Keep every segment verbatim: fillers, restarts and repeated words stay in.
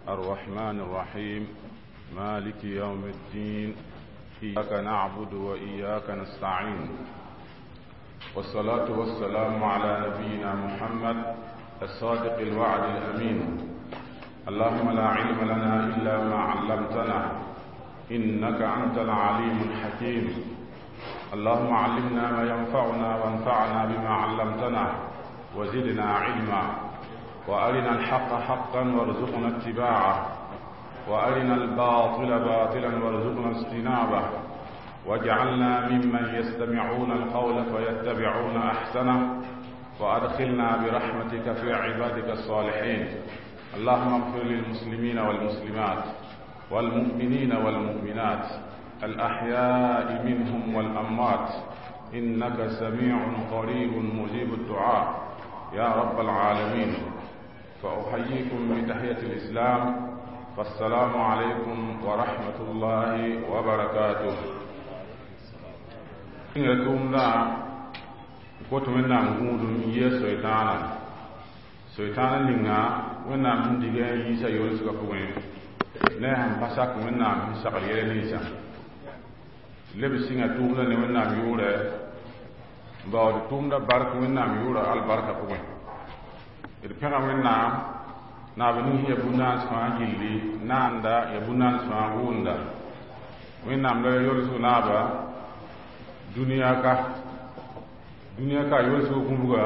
الرحمن الرحيم مالك يوم الدين إياك نعبد وإياك نستعين والصلاة والسلام على نبينا محمد الصادق الوعد الأمين اللهم لا علم لنا إلا ما علمتنا إنك أنت العليم الحكيم اللهم علمنا ما ينفعنا وانفعنا بما علمتنا وزدنا علما وأرنا الحق حقا وارزقنا اتباعه وأرنا الباطل باطلا وارزقنا اجتنابه واجعلنا ممن يستمعون القول فيتبعون أحسنه وأدخلنا برحمتك في عبادك الصالحين اللهم اغفر للمسلمين والمسلمات والمؤمنين والمؤمنات الأحياء منهم والأموات إنك سميع قريب مجيب الدعاء يا رب العالمين فأحييكم بتحية الإسلام فالسلام عليكم ورحمة الله وبركاته kot wẽnnaam gũudum n yɩ soɩtãana soɩtãana ninga wẽnnaam sẽn dig n yiisa yolsgã pʋgẽ ne a sẽn pa sak wẽnnaam sẽn sagl yɛla ninsã leb sɩnga tʋʋmdã ne wẽnnaam yʋʋrɛ n baood tʋʋmdã bark wẽnnaam yʋʋrã albarka pʋgẽ d pẽga wẽnnaam naab ning sẽn ya bu-naans fãa gilli naanda ya bu-naans fãa gʋʋnda wẽnnaam la yolsg naaba dũniyã ka dũniyã ka yolsg gũbga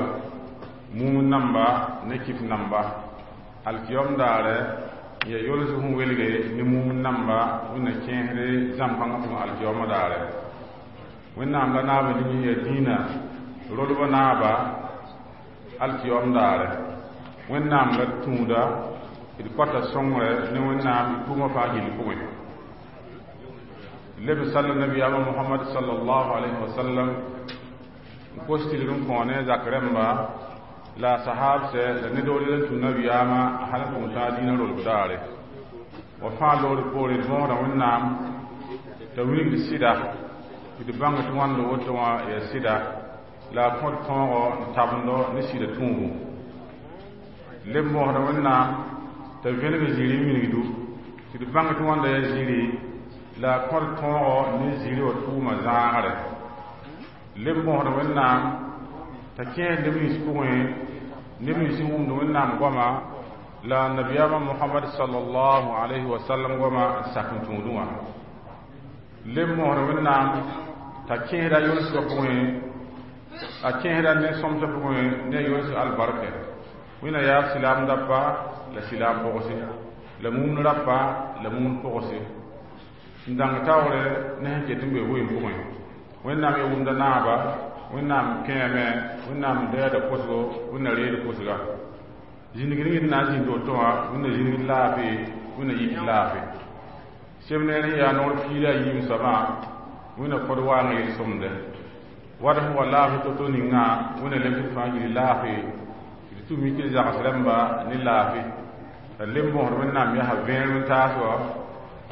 mum namba ne kɩf namba alkiyom daare ya yolsg sẽn welge ne mum namba wẽnna kẽesde zãm-kãngã pʋgẽ alkiyoma daare wẽnnaam la naab ning ya dĩinã rolbã naaba alkiyom daare wẽnnaam la tũuda d kõta sõngre ne wẽnnaam d tʋʋmã fãa gill pʋgẽ leb sall nabiyaamã mohamad sallallahu alayhi wa sallam n kos tɩlg n kõ ne zak rẽmba la sahabsɛ la ned wall n tũ nabiyaamã hal n tʋg tãag dĩinã rolb daare wa fãa loor poore d võoda wẽnnaam t'a wilgd sɩda tɩ d bãng tɩ wãnd woto wã yaa sɩda la a kõt tõogo n tabendo ne sɩda tũubu leb mosda wẽnnaam t'a vẽneg zĩri n minigdu tɩ d bãng tɩ wãnda yaa zĩri la a kõt tõogo ne zĩri wã tʋʋma zãagre leb mosd wẽnnaam t'a kẽes neb nins pʋgẽ neb nins sẽn wʋmd wẽnnaam goama la nabiyaamã mohamad sallallahu alayhi wa sallam goama n sak n tũudẽ wã leb mosd wẽnnaam t'a kẽesda yolsgã pʋgẽ a kẽesda ne sõmsã pʋgẽ ne a yolsg albarkɛ wẽnna yaa silaam dapa la silaam pʋgse la mumd rapa la mumd pʋgse n dãng taoore ne sẽn ket n be vɩɩm pʋgẽ wẽnnaam ya wʋmda naaba wẽnnaam kẽeme wẽnnaam dɛɛda kosgo wẽnna reed kosga zĩnigd ning d na n zĩnd woto wã wẽnna zĩnigd laafɩ wẽnna yik laafɩ sem neer sẽn yaa noor piila a yiim soabã wẽnna kod waang yel-sõmde wat sẽn wa laafɩ to-to ninga wẽnna lemsd fãa gilli laafɩ d tʋm tɩ zags rãmba ne laafɩ la leb mosd wẽnnaam yaa vẽer wẽn-taas wa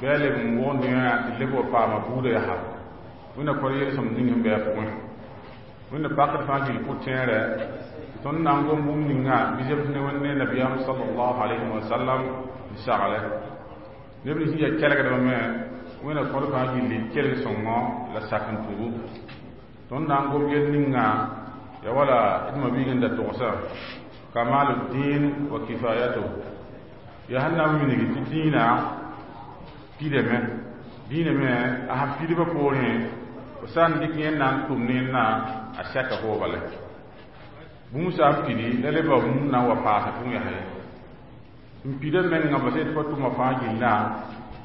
bɩ a leb n wʋgd yã tɩ leb wa paama buudã yaa wẽnna kod yel-sõmd ning sẽn bɩ a pʋgẽ wẽnna pakd fãa gill pʋ-tẽerɛ tɩ tõnd na n gom bũmb ninga bɩ zems ne wẽnd ne nabiyaam sallallahu alayhi wa sallam n sagle neb nins sẽn yaa kelgdbã me wẽnna kod fãa gilli kelg sõngo la sak n tubu tõnd na n gom yel ninga ya wala d mabiig n da togsa kamalu din wa kifayatu ya sẽn na n wilg tɩ dĩinã pidame dĩinã me a sẽn pidbã poorẽ fo sã n dɩk yẽnd na n tʋm ne yẽndã a sɛka fo bale bũmb sã n pidi la lebã bũmb na n wa paasa pʋgẽ yaa ye n pida menga bas tɩ fa tʋma fãa gillã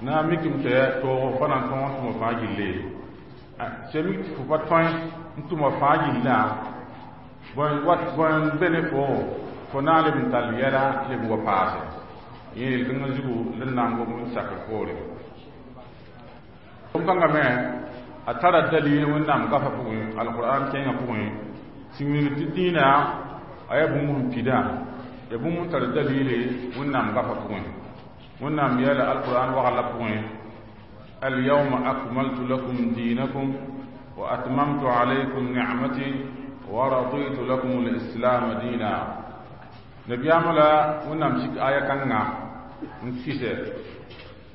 na n mikame tɩ toog pa na n tõog n tʋma fãa gille sẽn mik tɩ fo pa tõe n tʋma fãa gillã bõe wat bõe n be ne fo fo na n leb n tall yɛla leb n wa paase yẽ yel-kãngã zugu la n na n gom n sakr poore kãngã me a tara dalil wẽnnaam gafa pʋgẽ alqur'an kẽengã pʋgẽ sẽn wilg tɩ dĩinã a yaa bũmb sẽn pidã ya bũmb n tar dalile wẽnnaam gafa pʋgẽ wẽnnaam yeela alqur'an wagla pʋgẽ اليوم أكملت لكم دينكم وأتممت عليكم نعمتي ورضيت لكم الإسلام دينا نبيام لا wẽnnaam sik aya kãnga N kɩsɛ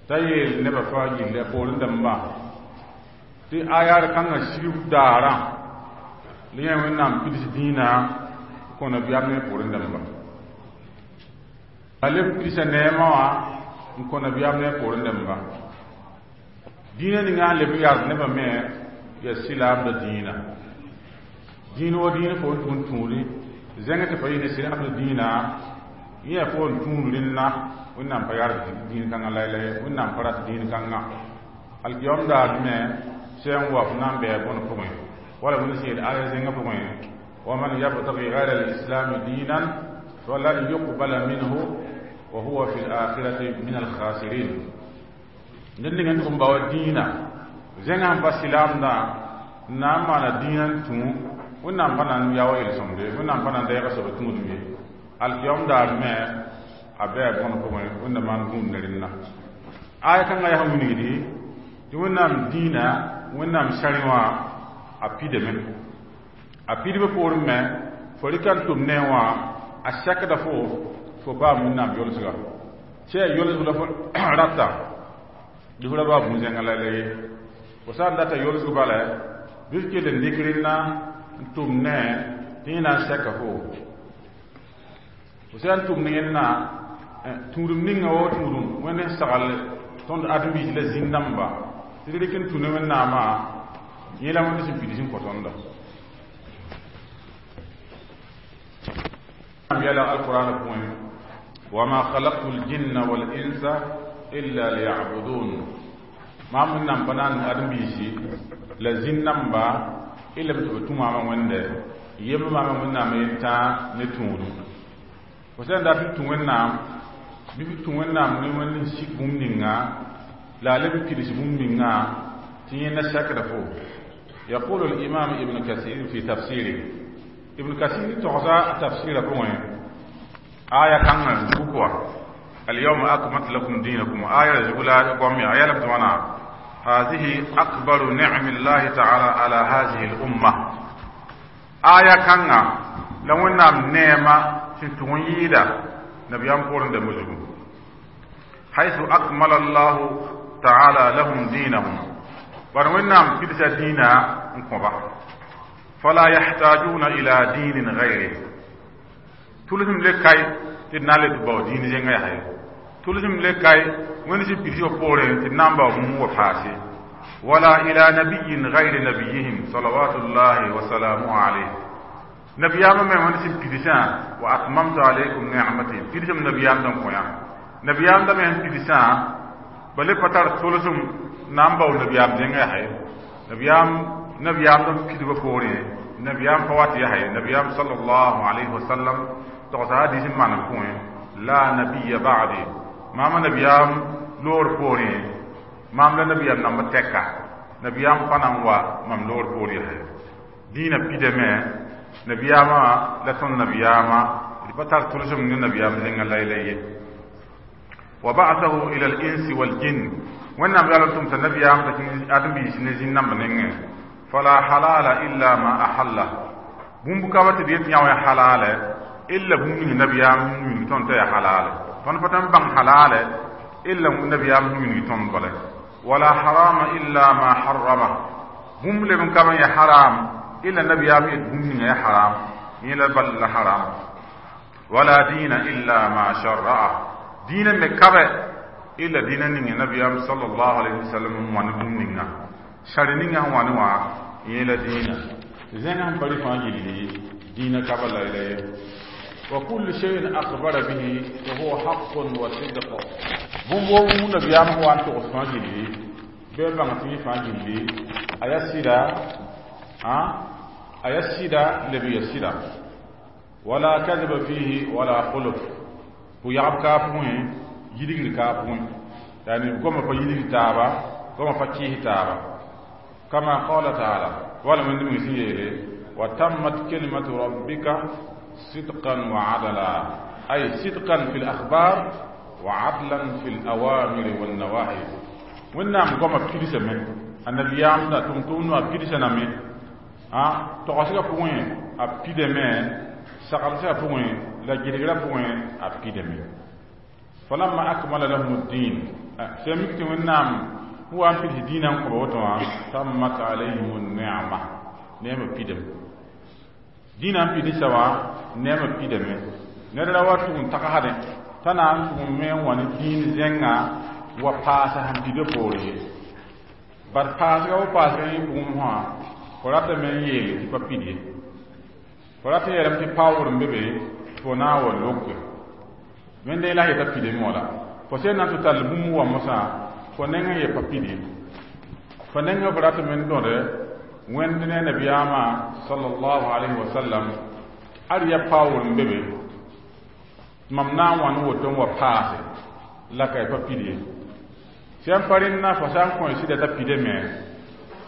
t'a yeel nebã fãa yille poorẽ dãmbã tɩ ayaar kãngã sigb daarã la yẽ Wẽnnaam pids dĩinã kõ nabiyaam ne poorẽ dãmba a leb pidsa neemã wã n kõ nabiyaam ne poorẽ dãmba dĩinã ninga sẽn leb n yard nebã me yaa silaamda dĩinã dĩin wa dĩin fo n tʋg n tũudi zẽng tɩ pa yɩ ne silaamda dĩinã yẽ fo n tũud rẽnna Wẽnnaam pa yard dĩin kãngã laylay Wẽnnaam pa rat dĩin kãngã alkiyom daar me sã n wa f na n bɩa bõn pʋgẽ wala wẽnd sẽn yeel aya zẽngã pʋgẽ ومن يبتغي غير الإسلام دينا فلن يقبل منه وهو في الآخرة من الخاسرين ned ning n tʋg n bao dĩinã zẽngã sẽn pa silaamdã n na n maana dĩinã n tũ Wẽnnaam pa na n ya wa yel-sõmde Wẽnnaam pa na n deega soab tũudum ye alkiyom daar me a bɩa bõn pʋgẽ Wẽnnaam maan gũud ne rẽnna aya kãngã yaa sẽn wilgdi tɩ Wẽnnaam dĩinã Wẽnnaam sãrẽ wã a pidame a pidbã poorẽ me fo rɩka n tʋm ne wã a sakda fo fo paam Wẽnnaam yolsga sã yaa yolsg la fo rata dɩ fo ra baa bũn-zẽngã la la ye fo sã n data yolsg bala bɩ f kell n dɩk rẽnna n tʋm ne tɩ yẽ na n sɛka fo fo sã n tʋm ne yẽnna tũudum ninga wa tũudum Wẽnd sẽn sagl tõnd ãdem-biis la zĩn-dãmba tɩ d rɩk n tũ ne Wẽnnaamã yẽ la Wẽnd sẽn pids n kõ tõnda yɛla alqur'an pʋgẽ wama khalaqtu ljinna walinsa illa liya'budun maam Wẽnnaam pa na n ãdem-biisi la zĩn-dãmba illa b tɩ b tũ maamã Wẽnde yembr maamã Wẽnnaam yentã ne tũudum fo sã n dat n tũ Wẽnnaam bɩ b tũ Wẽnnaam ne Wẽnd n sik bũmb ninga la a leb n pids bũmb ninga tɩ yẽnda sakda fo يقول الإمام ابن كثير في تفسيره ابن كثير تغزى تفسير pʋgẽ آية كان بكوا اليوم أكملت لكم دينكم آية زغلا قومي آية لبتوانا هذه أكبر نعم الله تعالى على هذه الأمة آية كان لو أن نعمة تنتويدا نبيان قرن دمجو حيث أكمل الله تعالى لهم دينهم ونعم كدس دينا انكبا فلا يحتاجون إلى دين غيره تلزم لكاي تنالي تباو دين زنغا يحيي تلزم لكاي ونسي بيسيو بورين تنامبا مو فاسي ولا إلى نبي غير نبيهم صلوات الله وسلامه عليه نبيام من ونسي بيسان وأتممت عليكم نعمتي بيسم نبيام دم كويا نبيام دم بيسان بل فتر تلزم نامبا نبيام زنغا يحيي نبيام نبيام دم كدب بورين نبيام فوات يحيي نبيام صلى الله عليه وسلم تغسى حديث معنى كوين لا نبي بعدي ماما نبيام لور بورين مام لا نبيام نام تكا نبيام فنان وا مام لور بوري دين بيدما نبياما لتون نبياما بتر تلزم من نبيام زين الله إليه وبعثه إلى الإنس والجن وإنما قالوا تم نبيام آدم بيسنزين نام فلا حلال إلا ما أحله بومبكا وتديت يا حلال إلا بومي نبيام من تون تي حلال فن فتن بان حلال إلا نبيام من تون بله ولا حرام إلا ما حرمه بوم لبن كما يا حرام إلا نبيام بومي يا حرام إلا بل حرام ولا دين إلا ما شرعه دين مكبه إلا دين نبيام صلى الله عليه وسلم وان بومي شرنينا وان وا إلا دين زين هم بري فاجلي دين كبل إليه وكل شيء أخبر به وهو حق وصدق بوم بوم نبيام هو أنت فاجلي بيبان في فاجلي أيسيرا ها أيسيرا لبي يسيرا ولا كذب فيه ولا خلف هو يعب كافوين يدير كافوين يعني كما فيدير تابا كما فكيه تابا كما قال تعالى ولا من دون وتمت كلمة ربك صدقا وعدلا أي صدقا في الأخبار وعدلا في الأوامر والنواهي ونعم قام بكريسة من النبي يامنا تمتون بكريسة نمي ها تقاسيك بوين أبكيد من سقالسيك بوين لا جريغلا بوين أبكيد من Falamma akmala lahum ad-din sẽn mik tɩ Wẽnnaam wa n pids dĩinã n kõba woto wã tammat alayhim ni'ma neemã pidame dĩinã n pidsa wã neemã pidame ned ra wa tʋg n tagsdẽ t'a na n tʋg n me n wa ne dĩin zẽnga wa paasa sẽn pida poore ye bad paasga wo paasga yẽ pʋgẽ mosã fo ratame n yeele tɩ pa pid ye fo rat n yeelame tɩ paoogr n be be tɩ fo na n wa loke wẽnde la yeta pidame wã la fo sẽn na n tɩ tall bũmb wa mosã fo neng n ye pa pid ye fo neng f ratame n dõde Wẽnd ne nabiyaamã sallallahu alayhi wa sallam ad ya paoogr n be be mam na n wa ne woto n wa paase la ka pa pid ye sẽn pa rẽnna fo sã n kõ sɩda t'a pidame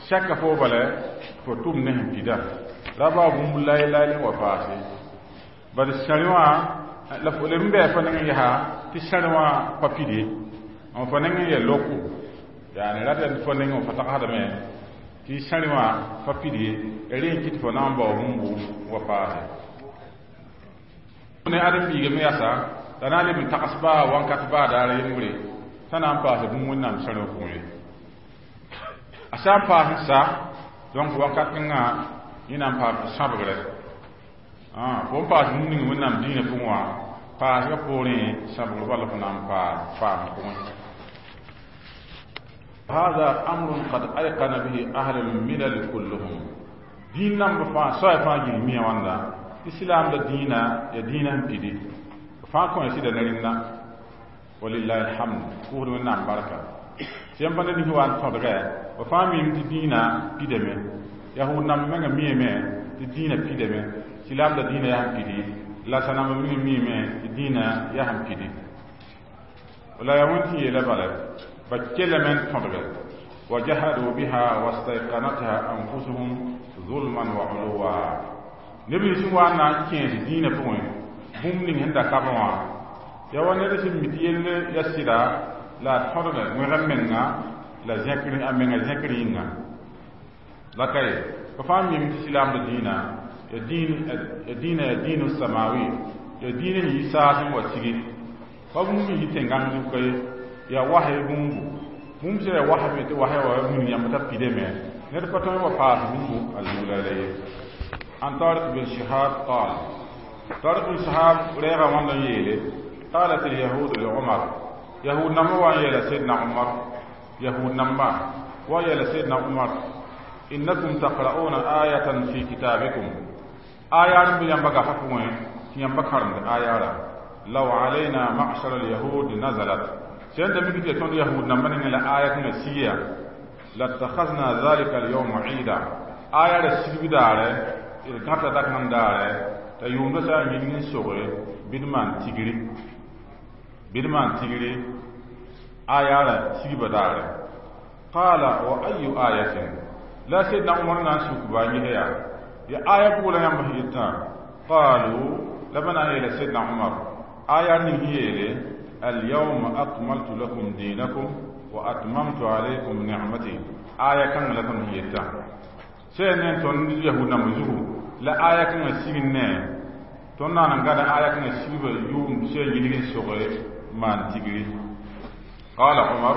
sɛka fo bala fo tʋm ne sẽn pida ra bao bũmb laay-laay n wa paase bad sãr wã la fo leb n bɩ fo neng n yaa tɩ sãr wã pa pid ye n fo neng n ya loko yaani rata fo neng n fo tagsdame tɩ sãr wã pa pid ye rẽ n kɩt fo na n bao bũmbu wa paase ne ãdem-biiga me yasa la na n leb n tags baa wãnkat baa daar yembre t'a na n paasa bũmb Wẽnnaam sãr wã pʋgẽ ye a sã n paas n sa donc wakat kẽngã yẽ na n paam sãbgrɛ fo n paas bũmb ning Wẽnnaam dĩinã pʋgẽ wã paasgã poorẽ sãbgr bala fo na n paam faam pʋgẽ هذا أمر قد أيقن به أهل الملل كلهم دين نم فا سوى فا جي وندا إسلام دا دينا يا دينا بيدي فا كون سيدا نرينا ولله الحمد كور من نام بركة سيم بنا ني وان تودغ وفا ميم دي دينا بيدمه يهود نم menga miyeme tɩ dĩinã pidame silaam la dĩinã yaa sẽn pidi la sãnamba meng miime tɩ dĩinã yaa sẽn pidi la yaa wẽnd tɩ yeela bala ba kelame n tõdge وجحدوا بها واستيقنتها أنفسهم ظلما وعلوا neb nins sẽn wa n na n kẽes dĩinã pʋgẽ bũmb ning sẽn da kabẽ wã ya wa ned sẽn mi tɩ yell ya sɩda la a tõdga wẽg menga la zẽkr a menga zẽkr yĩnga la ka ye fa fãa mim tɩ silaamda dĩinã ya dĩinã ya dĩinu samawi ya dĩinã sẽn yi saas n wa sigi pa bũmb n yi tẽngãng zuka ye ya wasy bũmbu bũmb sã ya wasme tɩ wasy wa wilg yãmb t'a pidame ned pa tõe n wa paas bũmbu a zug la la ye عن طارق بن شهاب قال طارق بن شهاب ريغا وندن يلي قالت اليهود لعمر يهود نما وان سيدنا عمر يهود نما ويا سيدنا عمر إنكم تقرؤون آية في كتابكم آية بيان حكمه ينبغى كرم آية لو علينا معشر اليهود نزلت سيند ميكي تون يهود نما نلا آية نسيا لاتخذنا ذلك اليوم عيدا آية سيبي داره gãta dak n daare t'a yʋʋmda sã n yĩng n soge bɩ d maan tigri bɩ d maan tigri aya sigba daare qala wa ayu ayatin la sayyidina umar na n suk ba yẽs yaa ya aya pʋgã la yãmb sẽn yetã qalu la ba na n yeela sayyidina umar aya ning sẽn yeele اليوم أكملت لكم دينكم وأتممت عليكم نعمتي آية كان لكم هي sẽn ne tõnd yahud namba zugu la aya kãngã sig ne tõnd na n gada aya kãngã sigba yʋʋm sẽn yĩng n soge maan tigri qala umar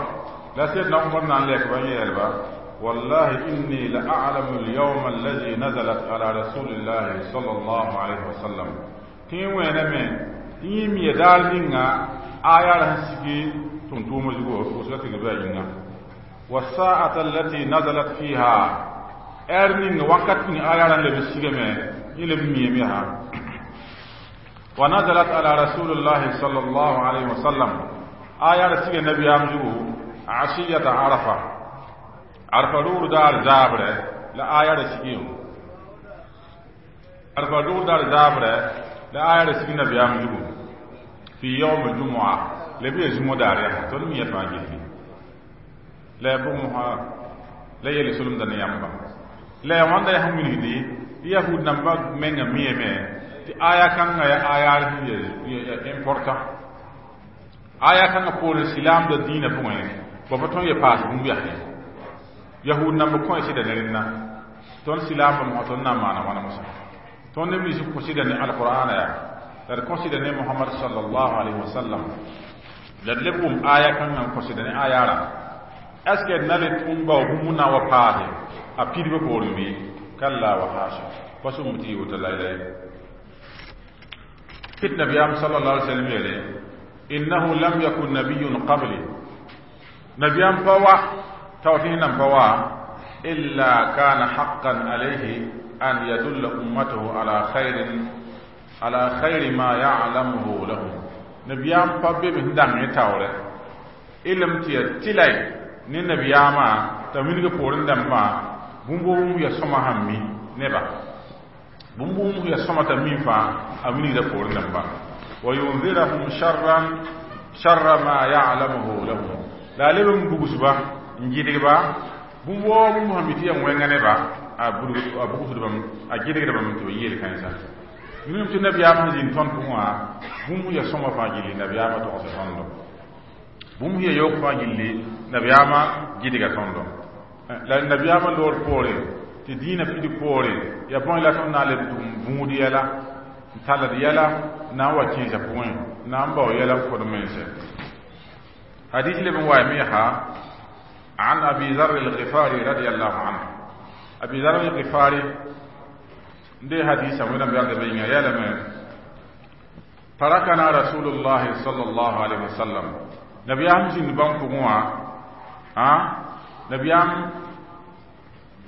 la sayyidina umar na n lɛk ba yeelba والله إني لأعلم اليوم الذي نزلت على رسول الله صلى الله عليه وسلم تين وين من يم يدار نينا آية سيجي تنتوم زغو وسلت غبا والساعة التي نزلت فيها er ning wakat ning aya ran lebe sigame ni lebe miyeme ha wa nazalat ala rasulillah sallallahu alaihi wasallam aya ra sige nabi am jugu ashiyata arafa arafa rur dar zabre la aya ra sige arafa rur dar zabre la aya ra sige nabi am jugu fi yawm jumu'a lebe jumu dar ya to mi ya fa gi la bu mu ha la yele sulum da ne yamba la wãnda yaa sẽn wilgdi tɩ yahud nambã menga miyame tɩ aya kãngã ya aya ya important aya kãngã poorẽ silaamda dĩinã pʋgẽ ba pa tõe n ya paas bũmb yaa yahud namba kõ sɩda ne rẽnna tõnd silaambã mosã tõnd na n maana wãna mosã tõnd neb nins kõ sɩda ne alqur'ana yaa la d kõ sɩda ne mohamad sallallahu alayhi wa sallam La d leb wʋm aya kãngã n kõsd ne aya rã. Est ce que d na le tʋm bao bũmb na n wa paase a pidbã poorẽ bɩ? Kalla wa hasha, pa sʋm tɩ yɩ woto laylay. Kɩt nabiyaam sallallahu alaihi wasallam yeele: innahu lam yakun nabiyun qabli, nabiyaam pa wa tao tɩ nan pa wa, illa kana haqqan alayhi an yadulla ummatahu ala khairin ala khairi ma ya'lamuhu lahum. Nabiyaam pa be b sẽn dãng ne taoorɛ ilm tɩ ya tɩlay ne nabiyaamã t'a wilg poorẽ dãmbã bũmb bũmb ya sõma sãn mi neba, bũmb bũmb ya sõma t'a mi fãa a wilgda poorẽ dãmba, wa yunzirahum sharran sharra ma ya'lamuhu lahum. La a leb n bugsba n gɩdgba bũmb woo bũmb sãn mi tɩ yaa wẽnga neba, a bugsd bãmb, a gɩdgd bãmb tɩ ba yeel kãensa. Wilgm tɩ nabiyaam sẽn zĩnd tõnd pʋgẽ wã, bũmb ya sõma fãa gilli nabiyaamã togsa tõndo, bũmb ya yoog fãa gilli nabiyaamã gɩdga tõndo. La nabiyaamã loor poore tɩ dĩinã pid poore ya bõe la tõnd na n leb tʋm vũud yɛla n talld yɛla n na n wa kẽesã pʋgẽ, n na n bao yɛla n kod mense. Hadis leb n waame yaa عن أبي ذر الغفاري رضي الله عنه. أبي ذر الغفاري دي حديث من بيان بين يلم تركنا رسول الله صلى الله عليه وسلم، نبي أم زين بان فموا ها نبي أم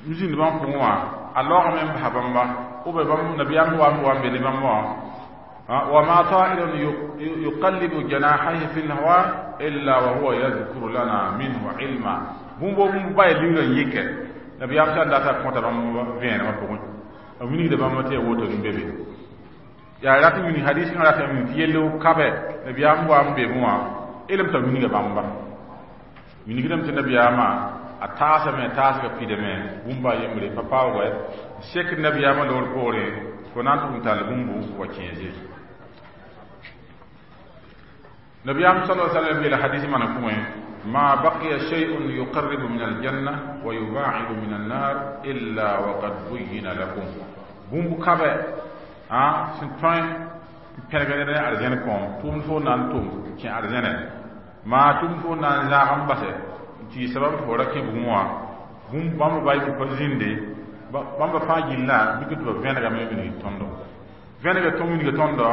زين بان فموا الله من بحبamba أو بام نبي أم وام وام بني بام وما طائر يقلب جناحيه في الهواء إلا وهو يذكر لنا منه علما. بوم بوم باي ليغا يك نبي أم سان داتا كونتا بام فين ما بوم wilgda bãmb tɩ ya woto n be be yaa rat n wilg hadis kãngã rat n wilg tɩ yell kabe nabiyaam wa n be wã elem t'a wilga bãmba wilgdame tɩ nabiyaamã a taasame taasga pidame bũmba yembre pa paoogɛ sek nabiyaamã loor poorẽ fo na n tʋg n tall bũmbu wa kẽese. Nabiyaam sala sallam yeela hadis mana pʋgẽ: ما بقي شيء يقرب من الجنة ويباعد من النار إلا وقد بين لكم. بوم كابة ها سنتوين pẽrgd ne arzẽn kõom tʋʋmd fo na n tʋm kẽ arzẽne maa tʋʋmd fo na n zãag n basɛ n tɩ yɩ sabab tɩ fo ra kẽ bugmẽ wã bũmb bãmb ba pa zĩnde bãmba fãa gillã mik tɩ ba vẽnegame wilg tõndo vẽnega tõm wilga tõndo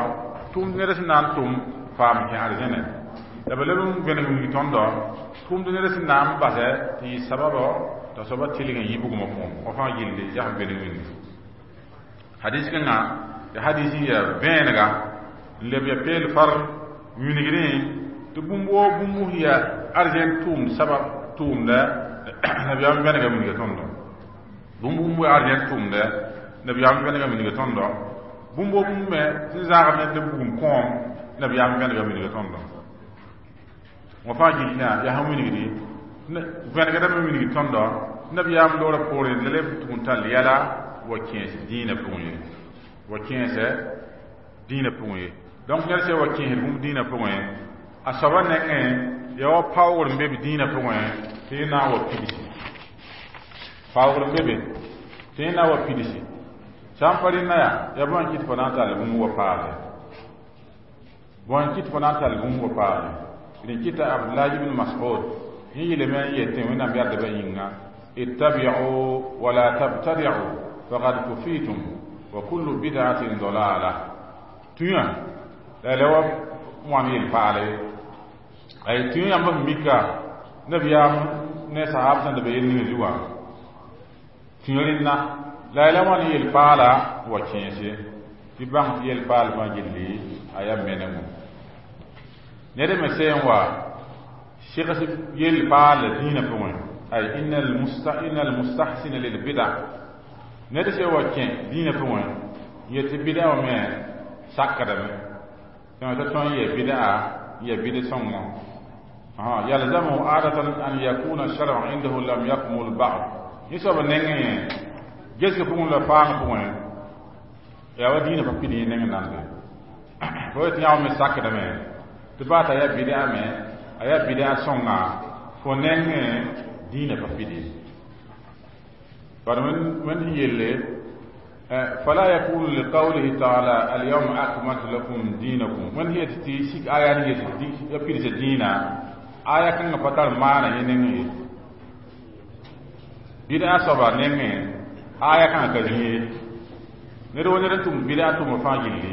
tʋʋmd ned sẽn na n tʋm faam kẽ arzẽne la ba leb n vẽneg wilg tõndo tʋʋmd ned sẽn na n basɛ tɩ yɩ sababɔ t'a soaba tɩlg n yɩ bugmã pʋgẽ wa fãa gilli zãsem vẽneg wilg. Hadis kãngã ya hadis n yaa vẽenega n leb ya peel far wilgdẽ tɩ bũmb woo bũmb yaa arzẽn tʋʋmd sabab tʋʋmda nabiyaam vẽnega wilga tõndo, bũmb bũmb yaa arzẽn tʋʋmda nabiyaam vẽnega wilga tõndo, bũmb woo bũmb me sẽn zãagame tɩ bugum kõom nabiyaam vẽnega wilga tõndo. Wã fãa gillã yaa sẽn wilgdi vẽnegdame wilg tõndo nabiyaam loora poorẽ la leb tʋg n tall yɛla wa kẽes dĩinã pʋgẽ ye wa kẽesɛ dĩinã pʋgẽ ye. Donc ned sã wa kẽesd bũmb dĩinã pʋgẽ a soaba nengẽ yaa wa paoogr n be b dĩinã pʋgẽ tɩ yẽ na n wa pidsi paoogr n be be tɩ yẽ na n wa pidsi sã n pa rẽnna yaa yaa bõe n kɩt fo na n tall bũmb wa paase bõe n kɩt fo na n tall bũmb wa paase. Rẽn kɩta Abdullah ibn Mas'ud yẽ yeelame n yetẽ Wẽnnaam yardbã yĩnga: ittabi'u wala tabtadi'u faqad kufitum wa kullu bid'atin dalala. Tũyã la la wa wãn yel-paala ye ay tũyã yãmb sẽn mika nabiyaam ne sahab sẽn da be yel ning zugã tũyã rẽnna la la wãn yel-paala wa kẽese tɩ bãng tɩ yel-paal fãa gilli a yaa menengo. Ned me sẽn wa segs yel-paal dĩinã pʋgẽ ay inna almustahsina lilbida ned sẽn wa kẽ dĩinã pʋgẽ yet tɩ bida wã me sakdame t'a tõe n yɛ bida n yɛ bid sõngo yalzamu adatan an yakuna shar'u indahu lam yakmul ba'd. Yẽ soab nengẽ gesg pʋgẽ la faang pʋgẽ yaa wa dĩinã pa pid yẽ neng nande fo yet yã me sakdame tɩ baa t'a yaa bida me a yaa bida sõnga fo nengẽ dĩinã pa pid ye. Bad wẽnd sẽn yelle فلا يكون لقوله تعالى اليوم أكملت لكم دينكم من هي تي شيك آية هي تي يبيد دينا آية كان فتر معنى يننgi bid'a soaba nengẽ aya kãngã ka zĩ ye ned wa ned n tʋm bid'a tʋmb fãa gilli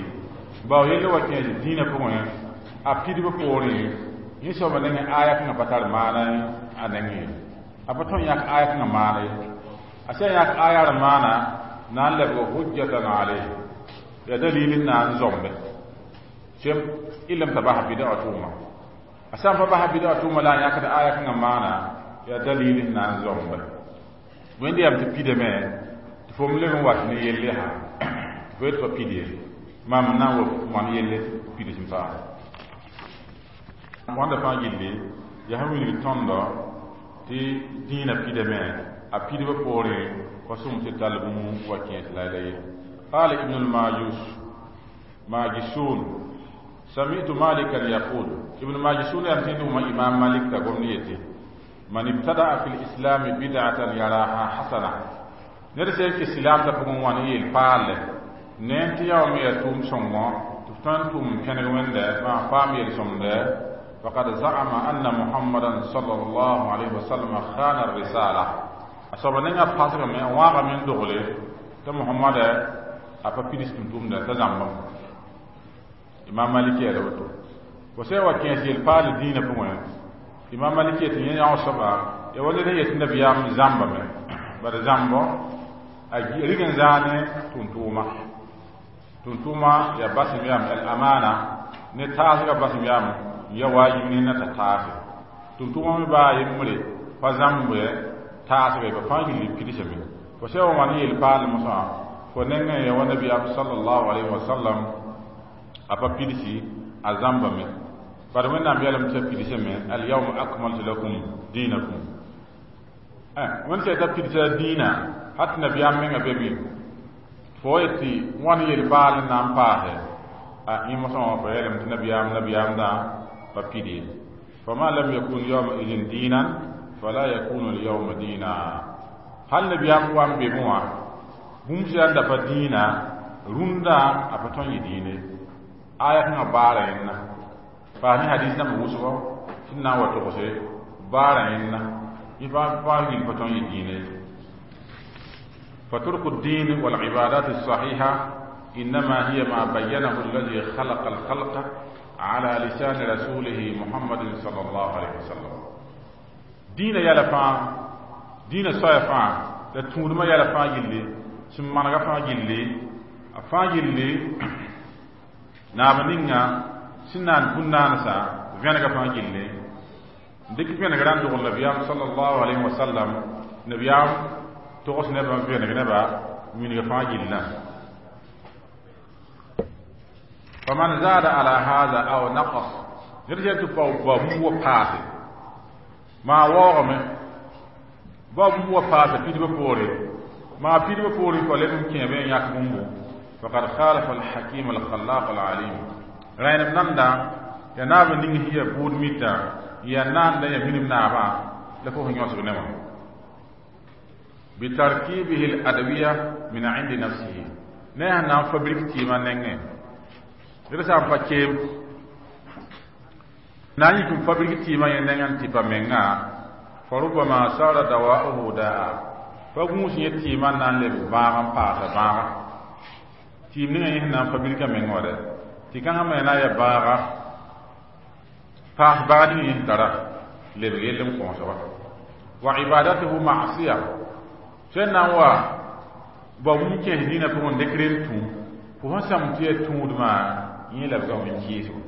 bao yelle wa kẽes dĩinã pʋgẽ a pidb poorẽ yẽ soaba nengẽ aya kãngã pa tar maana a nengẽ ye a pa tõe n yãk aya kãngã maana ye a sã n yãk aya r maana na n lebg hujjatan alayh ya dalil n na n zombe sem ilm t'a basa bid'a tʋʋma a sã n pa basa bid'a tʋʋma la a yãkd aya kãngã maana ya dalil n na n zombe wẽnd yam tɩ pidame tɩ fo m leb n wat ne yelle yaa tɩ fo yet pa pid ye maam n na n wa wãn yelle pids n paase wãnda fãa gilli yaa sẽn wilg tõndo tɩ dĩinã pidame a pidbã poorẽ pa sõm tɩ tall bũmb wa kẽes la la ye قال ابن الماجوس ماجشون سمعت مالكا يقول ابن ماجشون يمتين إمام مالك تقول نيتي من ابتدع في الإسلام بدعة يراها حسنة نرسل في الإسلام تفهم واني الفال ننتي يوم يتوم سمو تفتن توم كان وند ما فام يلسم فقد زعم أن محمدا صلى الله عليه وسلم خان الرسالة أصاب نينا باسك من واغا من دغلي تا محمد أفا بيدس توم ده تزعم إمام مالك يا لوتو وسيوا كان الفال دين فمو imam maliki tɩ yẽ yão soaba ya wa ned n yet nabiyaam zãmbame bara zãmbɔ a rig n zãane tʋʋm-tʋʋma tʋʋm-tʋʋma ya basem yaam al amana ne taasgã basem yaam n ya waajib ne na t'a taase tʋʋm-tʋʋma me baa yembre pa zãmbe taasga ba fãa gilli pidsame fo sã wa wãn yel paal mosã fo nengẽ ya wa nabiyaam sallallahu alayhi wa sallam a pa pidsi a zãmbame bari wẽnnaam yeelame tɩ pidsame alyawma akmaltu lakum dinakum wẽnd sã t'a pidsa dĩinã hat tɩ nabiyaam menga be be fo yet tɩ wãn yel-paal n na n paase a yẽ mosã wã fa yeelame tɩ nabiyaam nabiyaamdã pa pid ye fama lam yakun yawma idin diinan fala yakunu alyawma diina hal nabiyaam wa n beme wã bũmb sã n da pa dĩinã rũndã a pa tõe n yɩ dĩine aya kãngã baara yẽnna paas ne hadis dãmb wʋsgɔ tɩ n na n wa togse baara yẽnna yẽ fãa yil pa tõe n yɩ dĩine فترك الدين والعبادات الصحيحة إنما هي ما بينه الذي خلق الخلق على لسان رسوله محمد صلى الله عليه وسلم دين يالا فا دين صايا فا لا تونما يالا فا يلي sẽn manega fãa gilli a fãa gilli naab ninga sẽn naan bũn-naansã vẽnega fãa gilli n dɩk vẽneg rãnd dogl nabiyaam sallallahu alayhi wa sallam nabiyaam togs nebã vẽneg nebã wilg fãa gillã faman zada ala hada aw naqas ned sẽn tɩ bao bũmb wa paase maa waoogame bao bũmb wa paase pidbã poore maa pidbã poore fa leb n kẽebe n yãk bũmbu faqad khalafa alhakim alkhallaq alalim rẽnem nanda ya naab ning sẽn ya buud mita ya naanda ya minim naabã la fo sẽn yõsg ne wã bitarkibihi aladwiya min indi nafsihi ne sẽn na n fabrik tɩɩmã nengẽ ned sã n pa keem na n yik n fabrik tɩɩmã yẽ nengẽ n tɩ pa menga fa rubama sara dawa'uhu daa pa gũus yẽ tɩɩmã n na n leb bãag n paasa bãaga tɩɩm ninga yẽ sẽn na n fabrika meng wa dɛ tɩ kãngã me na n ya baaga paas baag ning yẽ sẽn tara lebg yell n kõosba wa ibadatuhu masiya sẽn na n wa bao bũmb kẽes dĩinã pʋgẽ n dɩk rem tũ fo sẽn sãm tɩ ya tũudmã yẽ labgame n kɩɩsgo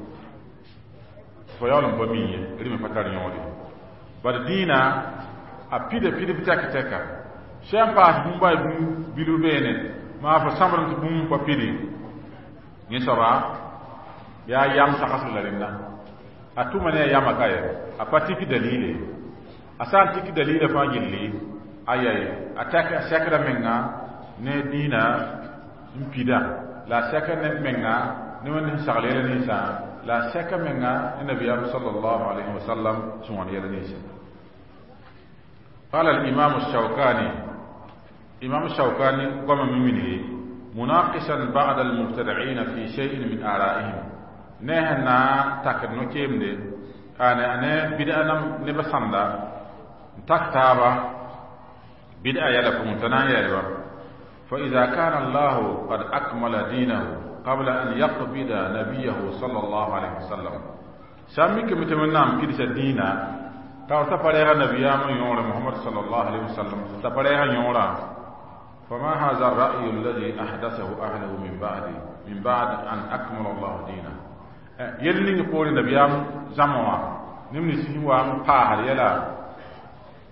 fo yaool n pa mi ye rɩm pa tar yõod ye bad dĩinã a pida pidb tɛk tɛka sã n paas bũmb a bũmb bilf beene maa fo sãmbrem tɩ bũmb pa pidi yẽ soaba yaa yam sagsg la rẽnda a tʋma ne a yama ka ye a pa tik dalile a sã n tik dalila fãa gilli a yaye a tɛk a sɛkda menga ne dĩinã n pida la a sɛka ne menga ne wẽnd sẽn sagl yɛla ninsã la a sɛka menga ne nabiyaam sallallahu alayhi wa sallam sẽn wãn yɛla ninsã قال الإمام الشوكاني إمام الشوكاني قام من منه مناقشا بعض المبتدعين في شيء من آرائهم نهنا تاكد نوكيم دي أنا أنا بدأ نم نبسندا تكتابا بدأ يلكم تنايا فإذا كان الله قد أكمل دينه قبل أن يقبض نبيه صلى الله عليه وسلم سامي كمتمنى كدس الدين تاو تفريغ نبيا من يور محمد صلى الله عليه وسلم تفريغ يورا فما هذا الرأي الذي أحدثه أهله من بعد من بعد أن أكمل الله دينه يلي نقول نبيام زموا نمني سيوا باهر يلا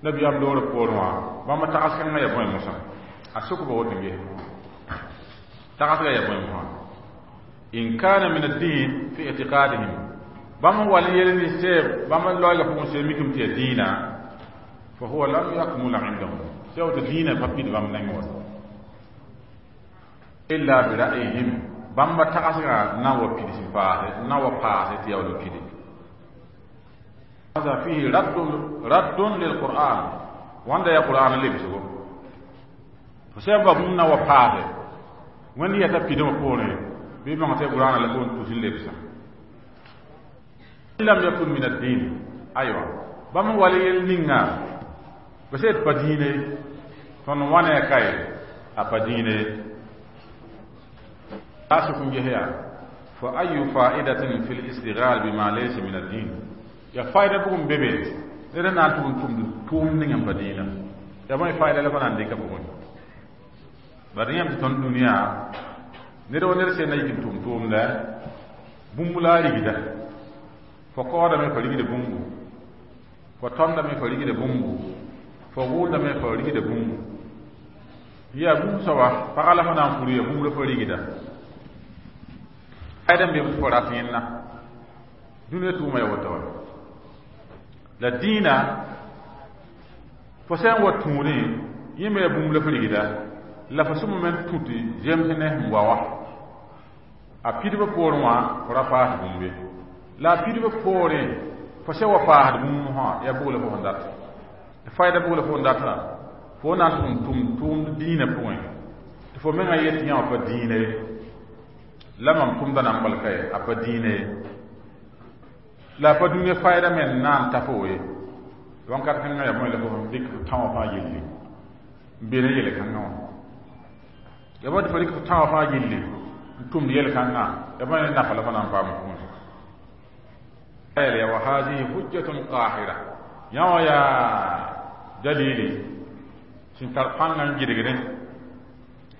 نبيام لور بوروا بما تاسكن ما يبوي موسى أسوك بوتنجي تاسكن يبوي موسى إن كان من الدين في اعتقادهم بما ولي يلي سيب بما لوغا فوق سيميكم تي دينا فهو لم يكمل عندهم سيو دينا فبيد بام نغ إلا برأيهم بما تاسكن ناو بيدي سفاه ناو باسي تياو بيدي هذا فيه رد رد للقرآن وعند يا قرآن اللي بيسوق فسبب منا وباسي وين يتبيدو بوري بما تي قرآن اللي كون تسيل لبسه لم يكن من الدين أيوة بما ولي النعا بس بدينه فنوانا كاي أبدينه أسكن جهيا فأي فائدة في الاستغلال بما ليس من الدين يا فائدة بكم بيبي لأن أنتم تم تم نعم بدينه يا ما فائدة لفنا عندك بكم بعدين تون الدنيا نرى نرى سينا يمكن تم تم لا بوملا ريدا فقال من فريق بومبو فتم من فريق بومبو فقول من فريق بومبو يا بوم سوا فقال فنا فريق بومبو فريق ده أيضا بيفراتينا دنيا توما يوتوا لا دينا فسان وتوني يما بومبو فريق ده لا فسوم من توتي جمسنه مواوا أبيد بقولوا فرافات بومبي لا بيد بقولين فسوا فاهد بومها يا بوله فوندات فايدة بوله فوندات فونا توم توم توم دينا بوين فمن أيتي يوم فدينه لما توم دنا ملكه أفدينه لا فدنيا فايدة من نان تفوي وانكر كنا يا مولا فهم ديك تاو فاجيلي بيني يلي كنا يا بود فريق تاو فاجيلي توم يلي كنا يا بود نافلا فنا فام وهذه حجة قاهرة يا يا دليلي سنتر فانا جيرغرين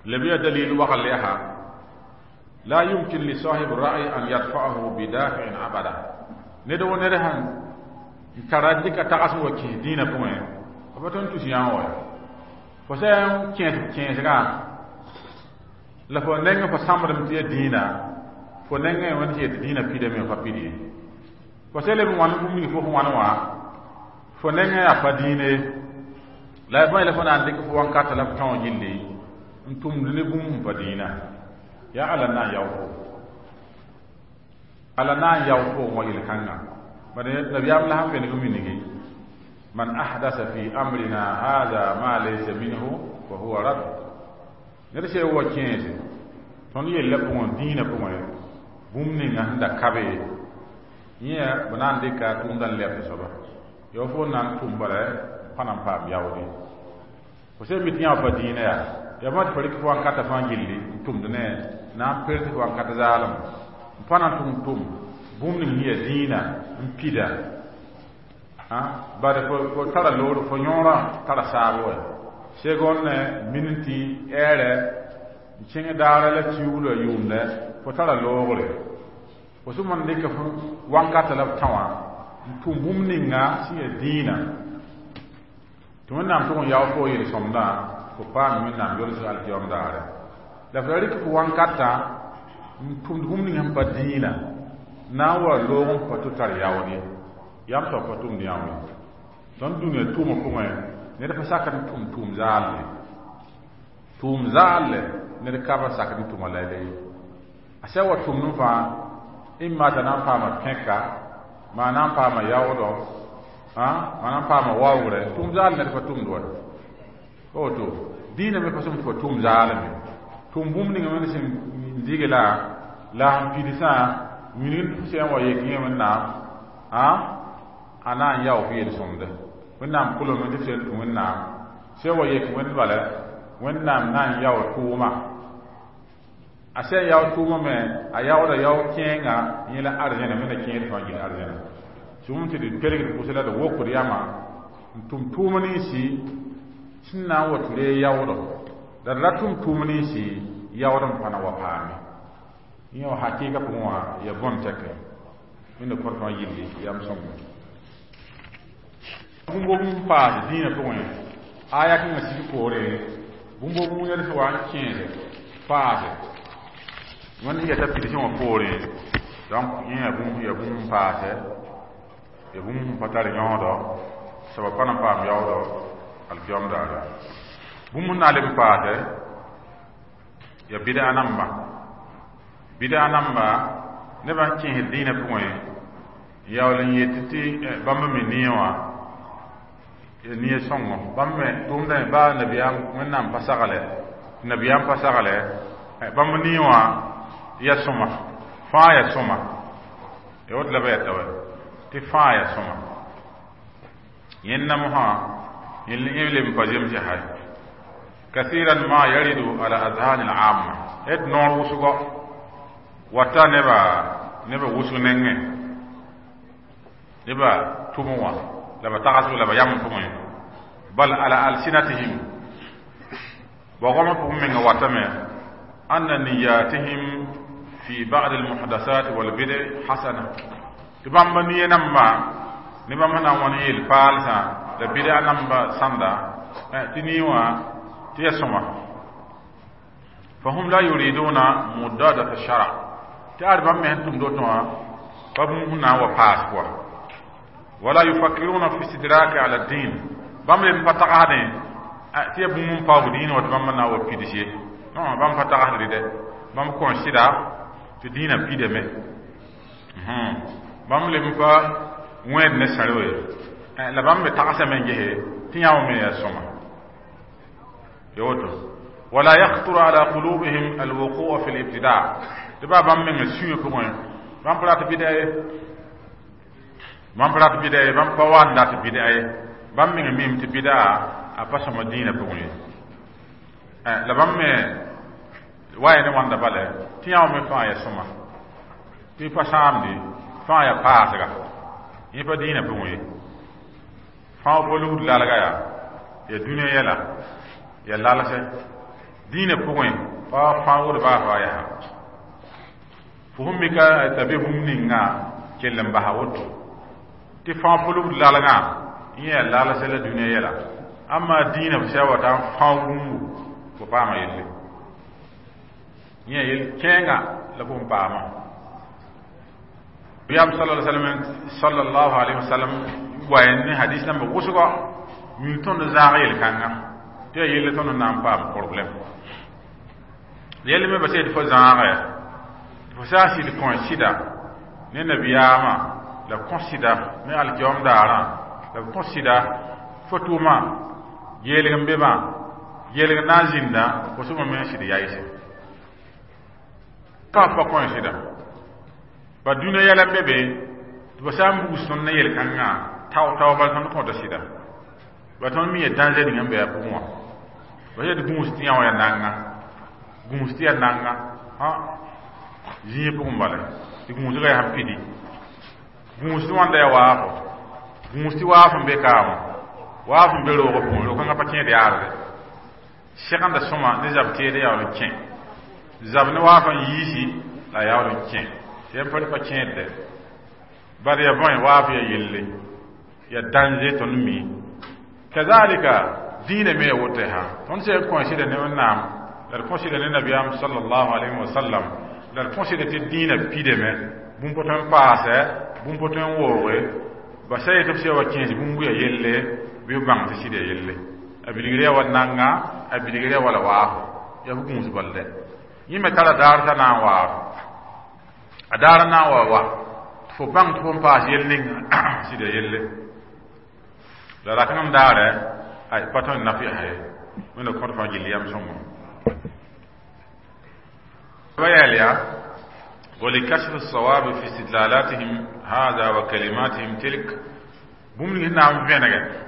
لبيا دليل وغليها لا يمكن لصاحب الرأي أن يدفعه بدافع أبدا ندو ندهن تراجك تقاسم وكي دين بوين أبتون تسيان وي فسيان كينس كينس غا لفو نينغ فسامر متي دينا فو نينغ ونتي دينا بيدا مي فبيدي فسيلم وان بومي فو وان وا فو نينغ أفدينه لا يبغى لفو نان ديك فو وان كاتلا فتون جيلي انتم لنبوم فدينا يا على نا يوفو على نا يوفو ويل كانغا بل نبي الله فين كومينيكي من أحدث في أمرنا هذا ما ليس منه فهو رد نرسي هو كينز تون يلبون دين بوم بومني نهندا كابي يا بنان ديكا توندان لب سبا يوفو نان تومبره پانام پام ياودي وسي ميتيا فدين يا يا ما تفرق فوان كاتا فان جيلي تومدنه نام بيرت فوان كاتا زالم پانا توم توم بومني هي دينا مبيدا ها bare fo fo tara lor fo nyora tara sabo segon ne minti ere chinga dara la chiulo yumne fo tara logre fo sumon dika fo wankata la tawa tum bumni nga si dina to nam to yaw fo yele somda fo pa min nam yol sa alkiyom dare la fo rik fo wankata tum bumni ngam pa dina na wa logon fo to tar yawni yam so fa tum yam ton dunya tuma kuma ne da fasaka tum tum zalle tum zalle ne da ka fasaka tum lalle asa wa tum nu fa imma da nan fa ma kenka ma nan fa ma yawdo ha ma nan fa ma wawre tum zalle ne da fa tum do o to dina me fasum fa tum zalle Tʋm bũmb ning wẽnd sẽn dig la la sẽn pidsã wilg tɩ sẽn wa yek yẽ wẽnnaam a a na n yao f yel-sõmde wẽnnaam kolem tɩ f sẽn tũ wẽnnaam sẽn wa yek wẽnd bala wẽnnaam na n yao tʋʋma a sẽn yao tʋʋma me a yaooda yao kẽenga yẽ la arzẽna me na kẽed fãa gil arzẽna sũm tɩ d kelgd pʋsẽ la d wokd yama n tʋm tʋʋm ninsi sẽn na n wa tɩ ree yaoodo la d ra tʋm tʋʋm ninsi yaood n pa na wa paame yẽ wã hakɩɩga pʋgẽ wã ya bõn tɛkɛ wẽnda kõt fãa yilli yam sõngo bũmb n paas dĩinã pʋgẽ aya kẽngã sig poore bũmb b yɛls wa n kẽede paase wẽnd sẽn yɛta pidsẽ wã poore donc yẽ ya bũmb ya bũmb n paase ya bũmb sẽn pa tar yõodɔ soaba pa na n paam yaoodɔ alkiyoom daare bũmb n na n leb n paase ya bɩda namba bɩda namba nebã n kẽesd dĩinã pʋgẽ yaool n yet tɩ bãmb me nie wã ya nie sõngo bãmb me tʋʋmdame baa nabiyaam wẽnnaam pa sagle nabiyaam pa sagle bãmb nie wã ya sõma fãa ya sõma ya woto la ba yata wɛ tɩ fãa ya sõma yẽnna mosã yẽ leb n pa zemse hay كثيرا ما يرد على أذهان العامة et noor wʋsgɔ wata neba neba wʋsg nengẽ neba tʋmẽ wã la ba tagsg la ba yam pʋgẽ bal ala alsinatihim bogmã pʋgẽ menga watame anna niyatihim fi ba'd almuhdasat walbid'a hasana tɩ bãmba niye namba ne bãmb sẽn na n wãn yeel paalsã la bid'a namba sãnda tɩ nii wã tɩ ya sõma fahum la yuriduna mudadata shara tɩ ad bãmb me sẽn tʋmd woto wã pa bũmb sẽn na n wa paas pʋga wala yufakkiruna fi istidraki ala din bãmb leb n pa tagsdẽ tɩ ya bũmb n paoog dĩinã wa tɩ bãmb na n wa pids ye non bãmb pa tagsdre dɛ bãmb kõ sɩda tɩ dĩinã pidame bãmb leb n pa wẽed ne sãro ye la bãmb me tagsame n gese tɩ yã me yaa sõma ya woto wala yakhطuru ala qulubihim alwuqua fi libtida tɩ baa bãmb menga sũyã pʋgẽ bãmb pa rat bɩda ye bãmb pa rat bɩda ye bãmb pa wa n dat bɩda ye bãmb menga mim tɩ bɩda a pa sõma dĩinã pʋgẽ ye la bãmb me wa ya ne wãnda bala tɩ yã me fãa ya sõma tɩ pa sãamde fãa ya paasga yẽ pa dĩinã pʋgẽ ye fãa pa lugd lalga yaa ya dũniyã yɛla ya lalsɛ dĩinã pʋgẽ pa fãagd baa faa yaa fo sẽn mika t'a be bũmb ninga kell n basa woto tɩ fãa pa lugd lalgã yẽ ya lalsɛ la dũniyã yɛla amma dĩinã f sã wa ta n fãoog bũmbu fo paama yelle yẽ yel kẽenga la fo n paama yam sallallahu alaihi wasallam wa ne hadis namba wʋsgɔ mil tõnd zãag yel-kãngã tɩ yaa yelle tõnd na n paam problème yell me bas tɩ fo zãagɛ tɩ fo sã n sɩd kõ sɩda ne nabiyaamã la kõ sɩda ne alkiyoom daarã la b kõ sɩda fo tʋʋmã geelg n be bã geelg n na n zĩnda fo sõma me n sɩd yaɩse ka pa kõ sɩda ba dũniyã yɛla n be be tɩ ba sã n bugs tõnd ne yel-kãngã tao tao bala tõnd kõta sɩda ba tõnd mi ya danger ning n be a pʋgẽ wã ba yet gũus tɩ yã wã ya nanga gũus tɩ ya nanga ha zĩig pʋgẽ bala tɩ gũusgã yaa sẽn pidi gũus tɩ wãnda ya waafo gũus tɩ waaf n be kaamã waaf n be roogã pʋgẽ ro-kãngã pa kẽed yaarde segenda sõma ne zab teed yaool n kẽ zab ne waaf n yiisi la a yaool n kẽ tɩ yãmb pa pa kẽedde bad ya bõe waaf ya yelle ya danger tõnd mi kazalika dĩinã me ya woto ha tõnd sẽn kõ sɩda ne wẽnnaam la d kõ sɩda ne nabiyaam sallallahu alayhi wa sallam la d kõ sɩda tɩ dĩinã pidame bũmb pa tõe n paasɛ bũmb pa tõe n wooge ba sa yetɩ b sã wa kẽes bũmb ya yelle bɩ b bãng tɩ sɩd ya yelle a bilgr ya wa nanga a bilgr ya wala waafo ya b gũus bal dɛ yẽ me tara daar t'a na n waaf a daar n na n wa wa tɩ fo bãng tɩ fo n paas yel ninga sɩd ya yelle la rakẽngem daare ay pa tõe n naf yaa ye wẽnda kõt fãa gill yam sõngo وياليا ولكشف الصواب في استدلالاتهم هذا وكلماتهم تلك بوم نعم فينغ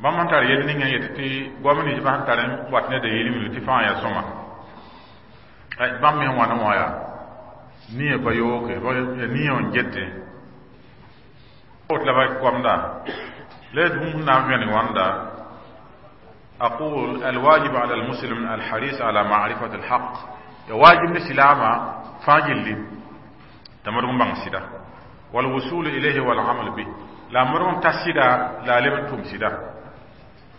bãmb sẽn tar yel ninga yet tɩ goam ninsbã sẽn tar n wat ne dalil min tɩ fãa yaa sõma bãmb me sẽn wãn wã yaa nia pa yooke nia n gete la ba goamda la bũmb sẽn na n vẽneg wãnda أقول الواجب على المسلم الحريص على معرفة الحق واجب الإسلام فاجل تمرغم بان سيدا والوصول إليه والعمل به لا مرغم تسيدا لا لمن توم سيدا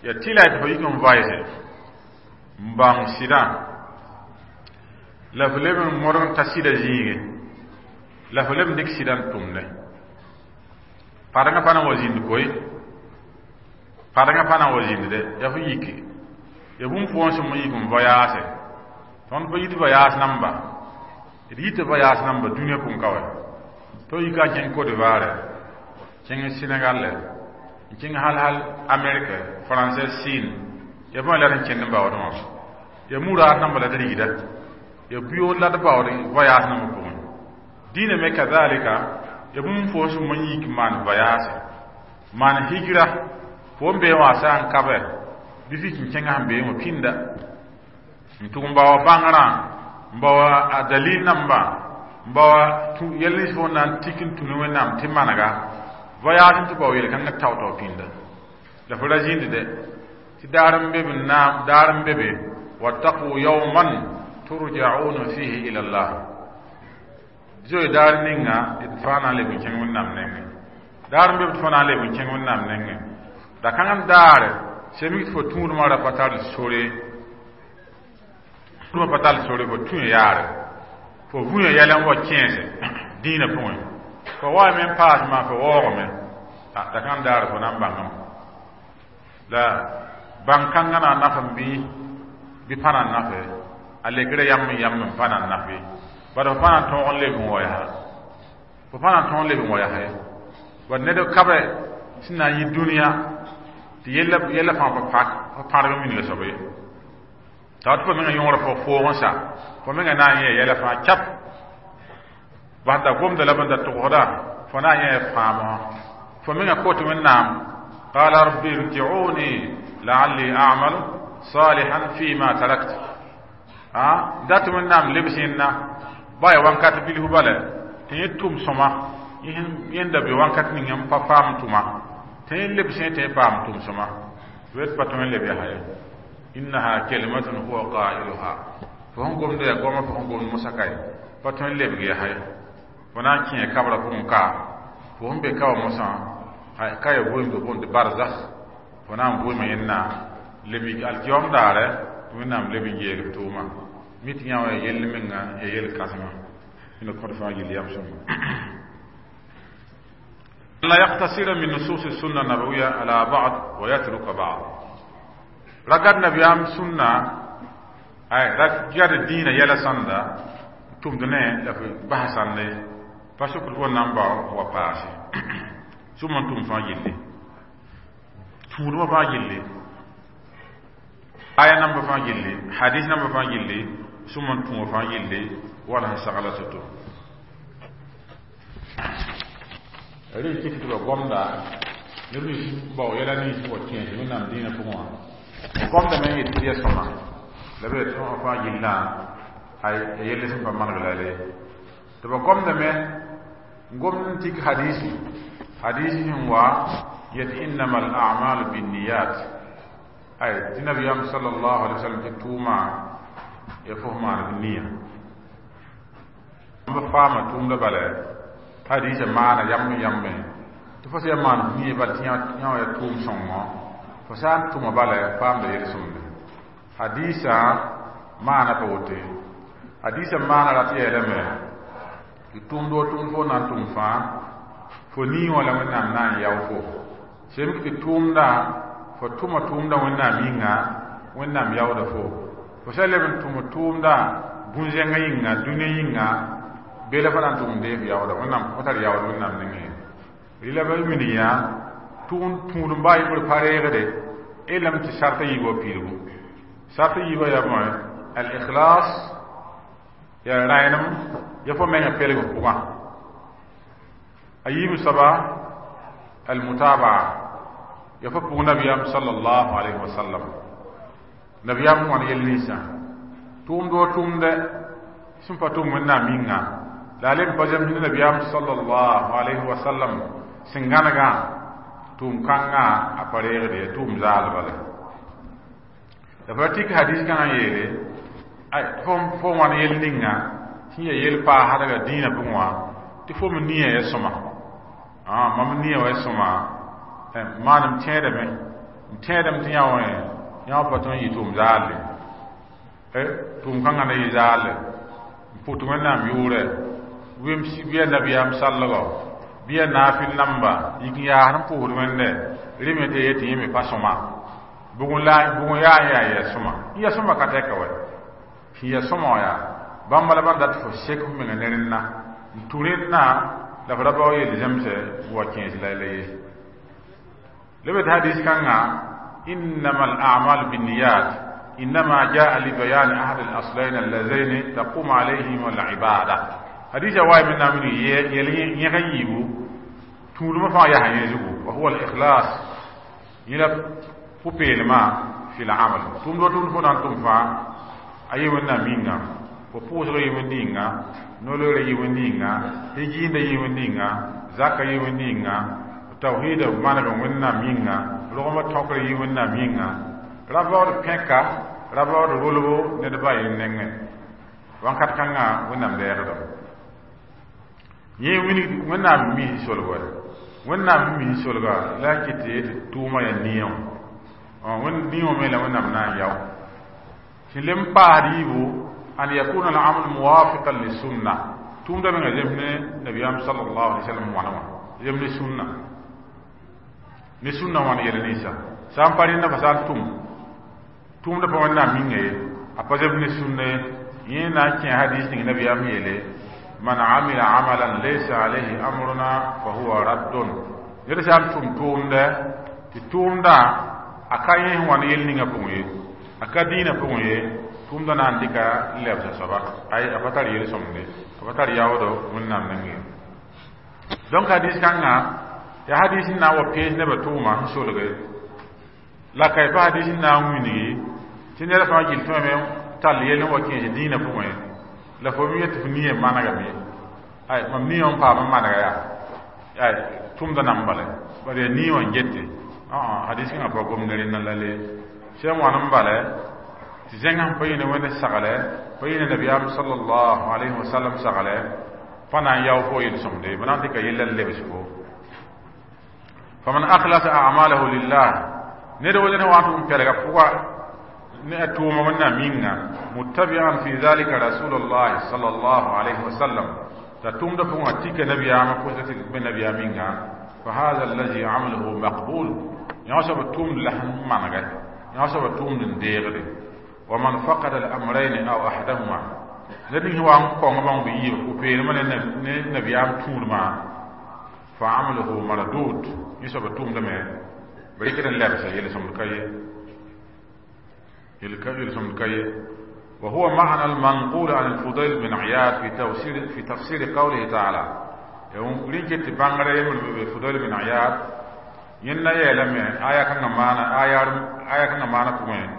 ya tɩ la tɩ fo yik n vaɩse n bãng sɩdã la fo leb n modg n ta sɩda zĩige la fo leb n dɩk sɩdã n tʋmdẽ padengã pa na n wa zĩnd koe padengã pa na n wa zĩnd dɛ yaa fo yike ya bũmb pʋgẽ sẽm n yik n voyaase tõnd pa yit voyaas namba d yita voyaas namba dũniyã pʋgẽ ka wɛ tɩ yika n kẽng Côte d'Ivoire kẽng Sénégal n kẽng hal hal Amérique français Chine ya bõe la d n kẽnd n baood wã ya muraad namba la d rigda ya buyood la d baood voyaas namba pʋgẽ dĩinã me kazalika ya bũmb fo sẽm n yik maan voyaase maan hijra fo n bee wã sã n kabe bɩ fik n kẽngã sẽn bee wã pĩnda n tʋg n baoa bãngrã n baoa a dalil namba n baoa yɛl nins fo na n tik n tũ ne Wẽnnaam tɩ manega voyage n tɩ bao yel-kãngã tao-tao pĩnda la fo ra zĩnd dɛ tɩ daar n be b naam daar n be be wattaqu yawman turja'una fihi ila Allah zoe daar ninga d fãa na n leb n kẽng Wẽnnaam nengẽ daar n be b tɩ fo na n leb n kẽng Wẽnnaam nengẽ da kãng n daare sem tɩ fo tũudmã ra pa tar sore tũudmã pa tar sore fo tũ yaare fo vũya yɛl n wa kẽese dĩinã pʋgẽ fo wa me n paasmã fo waoogame da kãng daare fo na n bãngame la bãng-kãngã na n naf n bɩ bɩ pa na n nafe a lekrã yam n yam n pa na n nafe bad fo pa na n tõog n leb n wa yaa fo pa na n tõog n leb n wa yaa ye bad ned kabe sẽn na n yɩ dũniyã tɩ yella yella fãa pa pak pa pãrg n wilga soaba ye t'a tɩ fo mengã yõora fo foog n sa fo mengã na n yẽ yɛla fãa cap bas da gomda la bẽn da togsda fo na n yẽ fãamã fo mengã kot Wẽnnaam qala rabbi irji'uni la'alli a'malu salihan fima tarakt a dat Wẽnnaam lebs yẽnna ba ya wãnkat bilfu bala tɩ yẽ tʋm sõma yẽnda be wãnkat ning n pa paam tʋma tɩ yẽ lebs yẽ tɩ yẽ paam tʋm sõma wet pa tõe n leb yaa ye innaha kalimatun huwa qailuha fo sẽn gomda yaa goama fo sẽn gomd mosã ka ye pa tõe n lebg yaa ye fo na n kẽ kabra pʋgẽ ka fo sẽn be ka wã mosã ka ya vʋʋm tɩ boond barzakh fo na n vʋʋma yẽnna leb alkiyom daare tɩ Wẽnnaam leb n yeeg f tʋʋma mi tɩ yã wã ya yell menga ya yel kãsema ina kõd fãa gill yam sõma لا يقتصر من نصوص السنة النبوية على بعض ويترك بعض رقد نبيام سنة أي رقد الدين يلا سنة تمدنه لفي بحثا لي فشكر هو نمبر وباسي ثم تم فاجلي تون فاجلي آية نمبر فاجلي حديث نمبر فاجلي ثم تم فاجلي ولا سغلا ستو rɩ kɩt tɩ ba gomda neb nins bao yɛla nins wa kẽes Wẽnnaam dĩinã pʋgẽ wã gomda me n yet tɩ ya sõma la b yet tõa fãa yillã a yell sẽn pa maneg la le tɩ ba gomdame n gomd n tik hadisi hadisi sẽn wa yet innama al a'malu binniyat ay tɩ nabiyam sallallahu alaihi wasallam tɩ tʋʋma ya fo maan b niya b faama tʋʋmda bala hadisa maana yam yam tɩ fo sã maan niya bala tɩ yã wã ya tʋʋm sõngo fo sã n tʋma bala paamda yel-sõmde hadisa maana pa woto ye hadisa maana rat yeelame tɩ tʋʋmd wo tʋʋmd fo na n tʋm fãa fo nii wã la Wẽnnaam na n yao fo sem tɩ tʋʋmda fo tʋma tʋʋmda Wẽnnaam yĩnga Wẽnnaam yaooda fo fo sã leb n tʋm tʋʋmda bũn-zẽngã yĩnga dũniyã yĩnga bela fo na n tʋg n deeg yaooda Wẽnnaam fo tar yaood Wẽnnaam nengẽ rɩla ba min yã tũud n baa yembr pa reegde lame tɩ sarta yiibã wa piidgu sarta yiibã yaa bõe al-ikhlas Yaa rãenem ya fo menga pelg f pʋgã. A yiib soaba almutabaa, ya fo pʋg nabiyaam sallallahu alayhi wa sallam, nabiyaam wãn yel ninsã tʋʋmd wa tʋʋmdɛ sẽn pa tʋm Wẽnnaam yĩnga, la a lem pa zems ne nabiyaam sallallahu alayhi wa sallam sẽn gãnegã, tʋʋm kãngã a pa reegd ye, tʋʋm zaal bale. La fa tik hadis kãngã n yeele fo fo wãn yel ninga sẽn ya yel paasdga dĩinã pʋgẽ wã, tɩ fo me nia ya sõma, mam nia wa ya sõma, maanem tẽedame, n tẽedame tɩ yã wã yã wã pa tõe n yɩ tʋʋm zaalle, tʋʋm kãngã na yɩ zaalle, n pʋt Wẽnnaam yʋʋrɛ bɩ ya nabiyaam sallgɔ, bɩ ya naafɩl namba yik n yaasd n pʋʋsd Wẽnde rẽ me tɩ ya yetɩ yẽ me pa sõma. Bʋg la bʋg n yaa n yaa ya sõma, n ya sõma ka tɛka wɛ sẽn ya sõma wã, yaa bãmba la ban dat fo sek f menga ne rẽnna n tũ rẽnna la f ra bao yel zemsɛ wa kẽes la la ye. Leb tɩ hadis kãngã إنما الأعمال بالنيات إنما جاء لبيان أحد الأصلين اللذين تقوم عليهما العبادة. حديث واي من نامن يل يغن يبو تولما فا يا يزغو، وهو الإخلاص إلى پوپيلما في العمل. توم دو توم فون توم فا ayi wenna minga fo pʋʋsg yɩ wẽnd ninga, noloogra yɩ wẽnd ninga, tɩ jiinda yɩ wẽnd ninga, zaka yɩ wẽnd ninga, tawhiida maneg Wẽnnaam yĩnga, rogmã tõkr yɩ Wẽnnaam yĩnga, ra baood pẽka, ra baood rolbo ned ba yẽ nengẽ wãnkat kãngã Wẽnnaam lɛɛgdame. Yẽ Wẽnnaam mi solg wa, Wẽnnaam mi solga la n kɩt tɩ tɩ tʋʋmã yaa nia wã, nia wã me la Wẽnnaam na n yao. Sẽn lem paasd yiibu an yakuna al-amal muwafiqan lisunna, tʋʋmda menga zems ne nabiyaam sallallahu alaihi wasallam wãna wã, zem ne sunna, ne sunna wãn yɛl ninsã sã n pa rẽnda fa sã n tʋm tʋʋmda pa Wẽnnaam minga ye, a pa zem ne sunna ye. Yẽ na n kẽ hadis ning nabiyaam yeele man amila amalan laysa alayhi amruna fa huwa raddun. Ned sã n tʋm tʋʋmdɛ tɩ tʋʋmdã a ka yẽ wãn yel ninga pʋgẽ ye, a ka dĩinã pʋgẽ ye, tʋʋmdã na n dɩka n lebsa soaba, ay a pa tar yel-sõmde, a pa tar yaoodo Wẽnnaam nengẽ. Donc hadis kãngã yaa hadis n na n wa pees nebã tʋʋma sẽn solge la ka pa hadis n na n wilgi tɩ ned fãa gill tõeme tall yell n wa kẽes dĩinã pʋgẽ, la fo me yet tɩ f nia manegame, ay mam nia n paam n manega yaa ay tʋmda nan bale, bala yaa nia wã n gete. Hadis kãngã pa gom ne rẽnna la le sẽn wãn n bale tɩ zẽngã sẽn pa yĩne Wẽnd saglɛ, pa yĩne nabiyaam sallallahu alayhi wa sallam saglɛ, pa na n yao fo yel-sõmde, b na n dɩka yella n lebs fo. Faman akhlasa a'malahu lillah, ned wa ned wã tʋg n pɛlga pʋga ne a tʋʋma Wẽnnaam yĩnga, muttabi'an fi dhalika rasulullahi sallallahu alayhi wa sallam, t'a tʋʋmda pʋgã tika nabiyaamã pʋsga tɩ be nabiyaam yĩnga, fa hadha allazi amaluhu maqbul, yã soaba tʋʋmd la sẽn manegɛ, yã soaba tʋʋmd n deegde. Wa man faqada al-amrayn aw ahadahuma, ned ning wa n kõng bãmb b yiib pʋ-peelmã ne nabiyaam tũudmã, fa amaluhu mardud, yẽ soaba tʋʋmdame b rɩkd n lebsa, yel-sõmd ka ye, yel-sõmd ka ye. وهو معنى المنقول عن الفضيل بن عياض في تفسير في تفسير قوله تعالى. يوم رينكت بانغري من الفضيل بن عياض ينا يلم آية كان معنى آية آية كان معنى كمان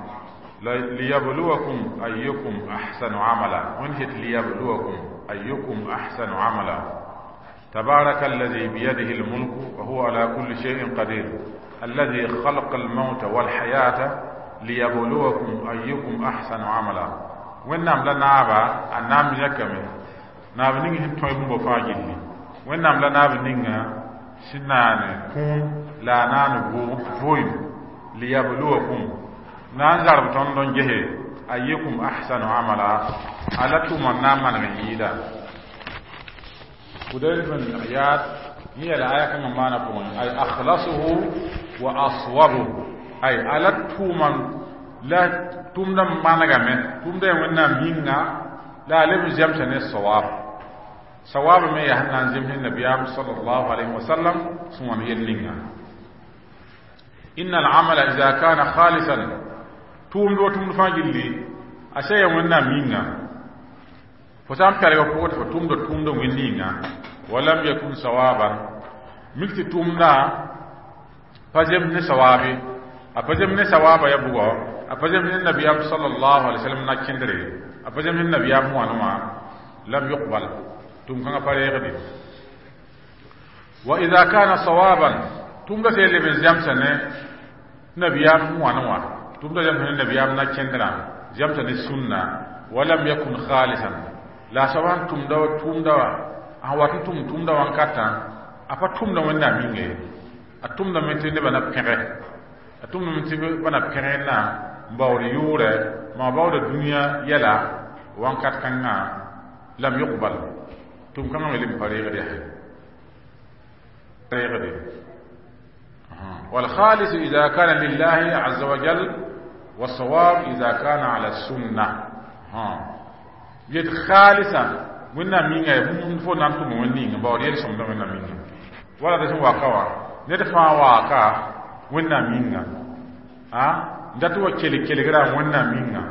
ليبلوكم أيكم أحسن عملا، ونشت ليبلوكم أيكم أحسن عملا. تبارك الذي بيده الملك وهو على كل شيء قدير الذي خلق الموت والحياة ليبلوكم أيكم أحسن عملا. وإنام لا نابا النام يكمل ناب نيجي توي بومبو فاجلي، وإنام لا ناب نيجا سنان كون لا نان بو فويم ليبلوكم نان زرب تندون جه أيكم أحسن عملا على توما نام من يدا. فضيل بن عياض هي الآية كما ما نقول أي أخلصه وأصوبه، أي على توما لا تومدا ما نجمع تومدا وإننا مينا لا لم زمسنا الصواب صواب ما يهنا زمن النبي صلى الله عليه وسلم ثم يلينا. إن العمل إذا كان خالصا توم دو توم فاجلي أشياء وإننا مينا Fo sã n pɛlg pʋgẽ tɩ fo tʋmda tʋʋmdã wẽnd ninga, walam yakun sawaban, mik tɩ tʋʋmdã pa zems ne sawaabe, a pa zems ne sawaaba ya bʋgɔ, a pa zems ne nabiyaam sallallahu alaihi wasallam na kẽndre, a pa zems ne nabiyaam wãn wã, lam yuqbal, tʋʋm kãngã pa reegde. Wa idha kana sawaban, tʋʋmdã sã leb n zemsa ne nabiyaam wãn wã, tʋʋmdã zemsa ne nabiyaam na kẽndrã, zemsa ne sunna, walam yakun khalisan, la soab sẽn tʋmda tʋʋmda wã, sẽn wat n tʋm tʋʋmda wãnkatã, a pa tʋmda Wẽnnaam yĩnga ye, a tʋmdame tɩ nebã na pẽge, a tʋmdame tɩ ba na pẽg na n baood yʋʋrɛ, maa baooda dũniyã yɛla, wãnkat kãngã lam yuqbal, tʋm kãngã me leb n pa reegd yaa reegde. والخالص إذا كان لله عز وجل، والصواب إذا كان على السنة. ها yet khalisa Wẽnnaam yĩnga bũmb fo na n tʋm wẽnd ninga baood yel-sõmdã Wẽnnaam yĩnga, wala d sẽn waka wã, ned fãa waaka Wẽnnaam yĩnga, a dat wa kelg kelgrã Wẽnnaam yĩnga,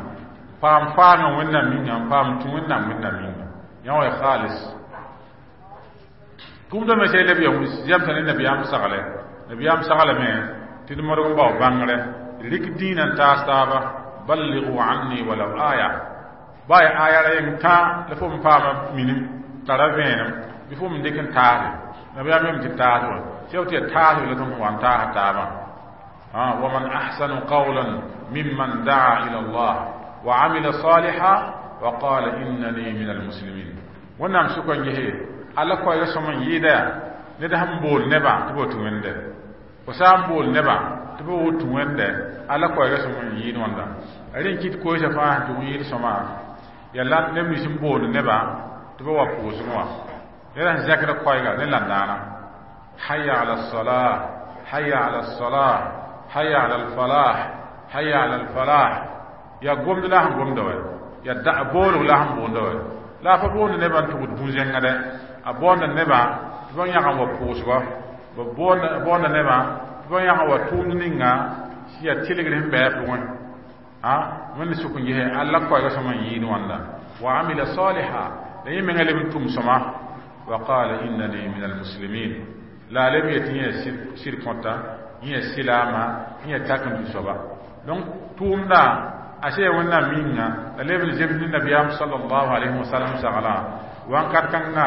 paam faagã Wẽnnaam yĩnga, n paam tũ Wẽnnaam Wẽnnaam yĩnga, yã wa khalis. Tʋʋmdã me sã leb ya zemsa ne nabiyaam sagle, nabiyaam saglame tɩ d modg n bao bãngrɛ, rɩk dĩinã n taas taaba, balligu anni walaw aya, baa ya aya ra yeng tã la fo n paama minim tara vẽenem bɩ fo m dɩk n taase nabiyaam yem tɩ taas wa sẽn tɩ ya taas la tõnd wa n taasa taabã. ومن أحسن قولا ممن دعا إلى الله وعمل صالحا وقال إنني من المسلمين. Wẽnnaam sʋka n gese alla koɛɛgã sõm n yɩɩda yaa ned sẽn bool nebã tɩ b tũ Wẽnde, fo sã n bool nebã tɩ b tũ Wẽnde, alla koɛɛgã sõm n yɩɩd wãnda rẽ n kɩt koeesã fãa sẽn tʋg n yɩɩd sõma yaa la neb nins n boond nebã tɩ b wa pʋʋsgẽ wã, ned sẽn zẽkd koɛɛga ne landãana, hayya ala salah, hayya ala salah, hayya ala alfalah, hayya ala alfalah, yaa gomd la sẽn gomda wɛ, yaa boolg la sẽn boonda wɛ, la a pa boond nebã n tʋgd bũ-zẽngã dɛ, a boonda nebã tɩ ba yãg n wa pʋʋsgɔ, b boonda nebã tɩ ba yãg n wa tʋʋmd ninga sẽn yaa tɩlgr sẽn bɩ a pʋgẽ, a Wẽnd sʋk n gese alla koɛɛgã sõm n yɩɩd wãnda, wa amila saliha, la yẽ menga leb n tʋm sõma, wa qala innani min almuslimin, la a leb yetɩ yẽ sɩd kõta, yẽ silaama, yẽ tak n tũ soaba. Donc tʋʋmda a sã ya Wẽnnaam yĩnga, la leb n zems ne nabiyaam sallallahu alayhi wa sallam saglã, wãnkat kãngã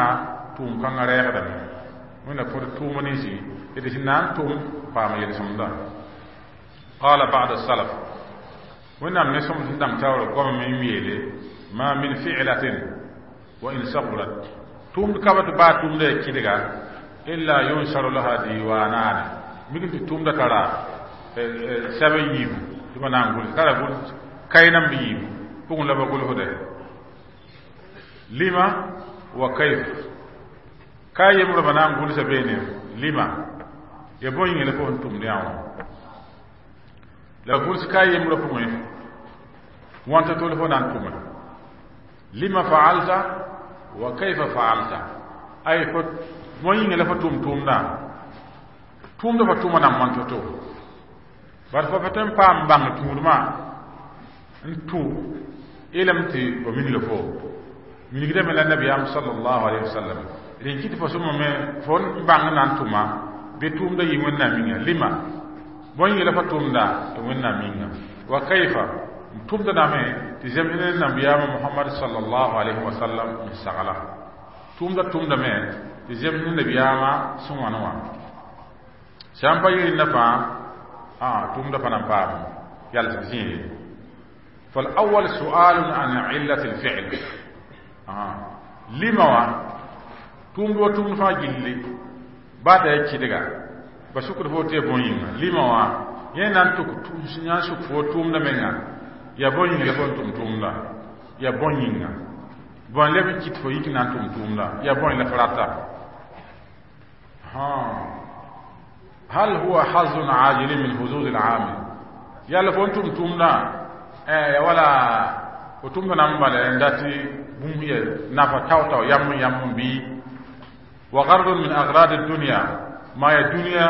tʋʋm kãngã reegdame. Wẽnna kõt tʋʋm ninsi d sẽn na n tʋm paam yel-sõmda. Qala ba'd salaf, Wẽnnaam ne sõm sẽn dãng taoor goame n yeele, ma min fi'latin wa in sagurat, tʋʋmd ka tɩ baa tʋʋmda ya kɩdga, illa yunsharu laha diwanani, mik tɩ tʋʋmda tara sɛb n yiibu tɩ ba na n gʋls, tara gʋls kay nan bɩ yiibu pʋgẽ la ba gʋlsde lima wa kayf, ka yembrã ba na n gʋlsa beene lima ya bõe yĩnga la fo sẽn tʋmd yã wã, la gʋls ka yembrã pʋgẽ wãnta tol fo na n tʋme, lima faalta wa kayfa faalta, ay fo bõe yĩnga la fo tʋm tʋʋmdã, tʋʋmdã fa tʋma nan wãn to-to, bar fo pa tõe n paam bãng tũudmã n tũ elem tɩ ba minga fo minigdame la nabiyaam sallallahu alayhi wa sallam rẽn kɩt fo sõma me fo n bãng na n tʋma bɩ tʋʋmda yɩ Wẽnnaam yĩnga, lima bõe yĩnga la fa tʋmda tɩ Wẽnnaam yĩnga, wa kayfa n tʋmda dame tɩ zems ne nabiyaamã Mohamad sallallahu alayhi wa sallam n sagla, tʋʋmda tʋmdame tɩ zems ne nabiyaamã sẽn wãn wã, sã n pa yɩ rẽndã fãa tʋʋmda pa na n paam yals zĩig. فالأول سؤال عن علة الفعل، آه. لما وا توم دو توم فا جيلي بعد يكيدغا بسكر فوتي بوين لما وا ينان توك توم سنان سوك فو توم دمنا يا بوين لا فون توم توم لا يا بوين بون لب كيت فو يك نان توم توم لا يا بوين لا فراتا. ها هل هو حظ عاجل من حظوظ العامل يا لفون توم توم لا eh wala o tʋmd na n bala n dat bũmb ya nafa tao-tao yam n yam n bɩ wa gardun min agrad dunya ma ya dunya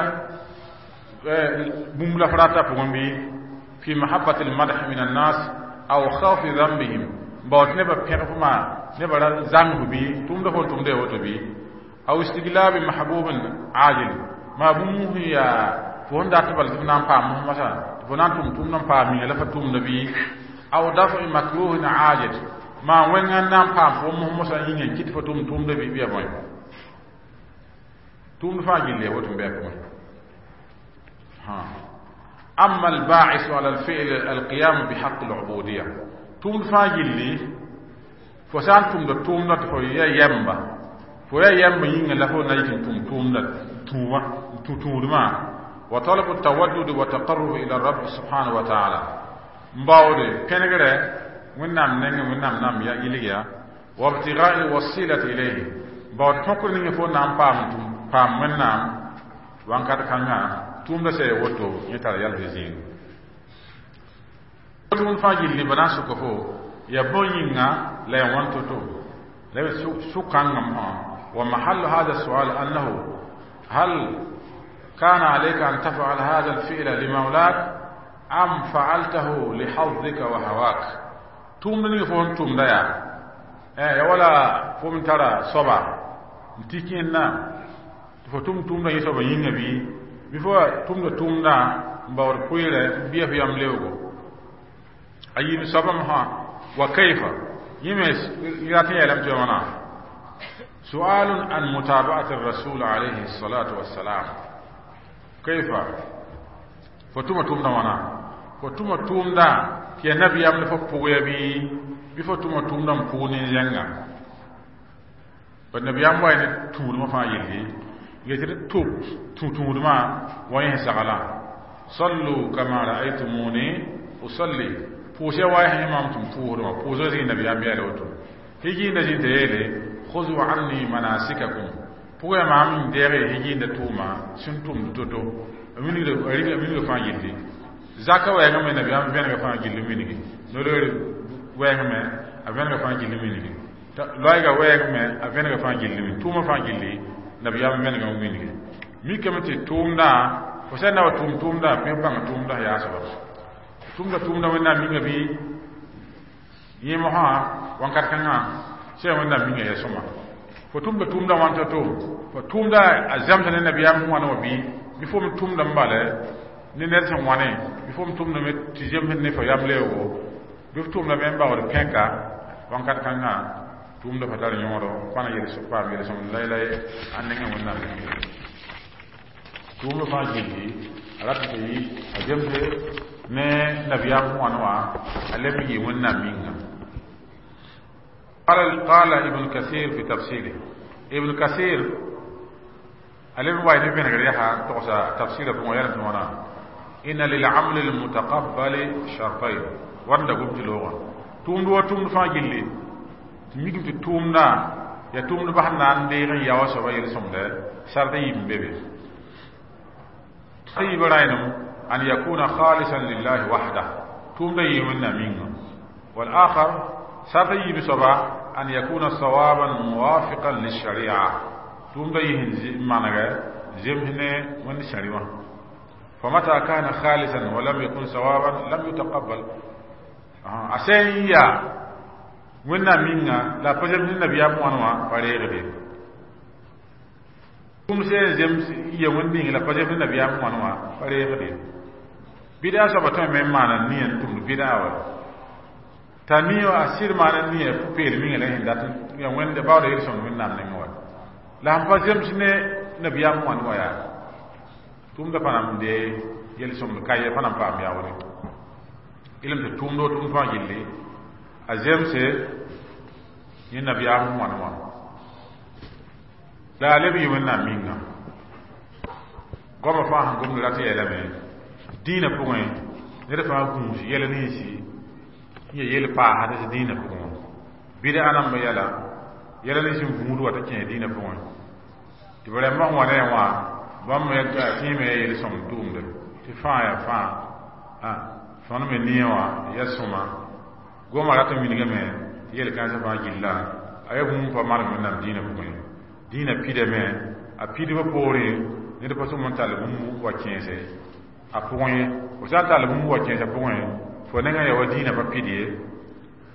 bũmb la f rata pʋgẽ bɩ fi mahabbat almadh min annas aw khawfi dhanbihim, baoot nebã pẽg fo maa nebã ra zãmb bɩ tʋʋmdã fo n tʋmda ya woto bɩ aw istiglaabi mahbubin ajil maa bũmb sẽn yaa fo sẽn dat bala tɩ f na n paam mosã tɩ fo na n tʋm tʋʋmdã n paam minga la fa tʋmda bɩ aw dafi makruhin ajil maa wẽnga n na n paam fo mos mosã yĩnga n kɩt fo tʋm tʋʋmda bɩ bɩ ya bõe tʋʋmd fãa gilli ya woto n bɩ a pʋgẽ أما الباعث على الفعل القيام بحق العبودية tʋʋmd fãa gilli fo sã n tʋmda tʋʋmdã tɩ fo ya yɛmba fo ya yɛmba yĩnga la fo na yik n tʋm tʋʋmda tũuma tũ tũudmã wa talabu tawaddud wa taqarrub ila rabb subhanahu wa ta'ala n baoode pẽnegrɛ wẽnnaam nengẽ wẽnnaam nam ya yilg ya wa ibtigai lwasilati ilayhi baood tõkr ninga fo na n paam tʋm paam wẽnnaam wãnkat kãngã tʋʋmda sã ya woto yẽ tara yals zĩig tʋʋmd fãa gilli ba na n sʋka fo ya bõe yĩnga la ya wãn to-to la sʋkãngã mosã wa mahallu hada sual annahu hal كان عليك أن تفعل هذا الفعل لمولاك أم فعلته لحظك وهواك tʋʋmd ning fo n tʋmda yaa ya wala fo m tara soaba n tɩ kẽnna tɩ fo tʋm tʋʋmdã yẽ soaba yĩnga bɩ bɩ fo tʋmda tʋʋmdã n baood pʋɩɩrɛ n bɩa f yam leoogo a yiib soaba mosã wa kayfa yẽ me rat n yeelame tɩ ya wãna سؤال عن متابعة الرسول عليه الصلاة والسلام كيف fo tʋma tʋʋmdã wãna fo tʋma tʋʋmdã tɩ ya nabiyaam la fo pʋg ya bɩ bɩ fo tʋma tʋʋmdã n pʋg nin-zẽnga b nabiyaam wa ne tũudmã fãa yelli yetɩ d tʋb tũ-tũudmã wa yẽ saglã sallu kama ra'aytumuni usalli pʋʋs ya wa yẽ mam tɩ m pʋʋsdẽ wã pʋʋsga zĩig nabiyaam yeela woto higiinda zĩ tɩ yeele khudhu anni manasikakum pʋgã maam n deege higiinda tʋʋma sẽn tʋmd to-to a minga fãa gilli zaka wɛɛngã me nabiyaam vẽnega fãa gilli mingi noloor wɛɛngã me a vẽnega fãa gilli mingi loɛɛga wɛɛng me a vẽnega fãa gilli min tʋʋma fãa gilli nabiyaam vẽnega mingi mikame tɩ tʋʋmdã fo sã n na wa tʋʋm tʋʋmdã pẽ bãng tʋʋmdã yaa soaba tʋʋmda tʋʋmdã wẽnnaam minga bɩ yẽ mosã wãnkat kãngã sã yaa wẽnnaam minga ya sõma fo tʋmda tʋʋmdã wãn to-to fo tʋʋmda a zãmsa ne nabiyaam wãna wã bɩ bɩ fo me tʋmda n bala ne ned sẽn wãne bɩ fo me tʋmda me tɩ zemsd ne fo yam leoogo bɩ f tʋmda me n baood pẽka wãnkat kãngã tʋʋmda pa tar yõodo pa na paam yel-sõmd lai-lai a nengẽ wẽnnaam tʋʋmda fãa gilli a rat tɩ yi a zemse ne nabiyaam wãn wã a leb n yɩ wẽnnaam minga قال قال ابن كثير في تفسيره ابن كثير ألم واي نبين غريها تقصى تفسير في ميان وانا إن للعمل المتقبل شرطين ورد قمت لغة توم دو توم فا جلي ميكم توم نا يا توم دو بحنا ندير يا وسوا يلسم ده شرطين بيبي طيب راينم أن يكون خالصا لله وحده توم ده يمنا منه والآخر شرط بسبا أن يكون صوابا موافقا للشريعة توم ده يهن معنى زمهن من الشريعة فمتى كان خالصا ولم يكن صوابا لم يتقبل أسين يا ونا منا لا فجر من النبي أموانا فريق بي توم سين زم يا ون لا فجر من النبي أموانا فريق بي بدا سبا من معنى نين توم بدا ولا t'a ni a sɩd maana nia pʋ-peelem ninga la sẽn dat ya wẽnde baooda yel-sõmd wẽnnaam nengẽ wa la sẽn pa zems ne nabiyaam wãn wa yaa tʋʋmda pa na n dee yel-sõmd ka ye pa na n paam yaoore ilem tɩ tʋʋmd o tʋʋmd fãa gilli a zemse yẽ nabiyaam wãn wã la a leb yɩ wẽnnaam minga goamã fãa sẽn gomd rat yeelame dĩinã pʋgẽ ned fãa gũus yɛl ninsi n ya yel paasd tɩ dĩinã pʋgẽ wã bɩda namba yɛla yɛla nins n vũud wa tɩ kẽ dĩinã pʋgẽ tɩ b rãmbã sẽn wa ne wã bãmb me tẽeme ya yel-sõmd tʋʋmde tɩ fãa ya fãa tõnd me nia wã ya sõma goma rat n wilgame tɩ yel-kãensã fãa gilla a ya bũmb pa maneg wẽnnaam dĩinã pʋgẽ dĩinã pidame a pidbã poorẽ ned pa sõm n tall bũmb wa kẽese a pʋgẽ ye fo sã n tall bũmb wa kẽesã pʋgẽ fo nengã ya wa dĩinã pa pid ye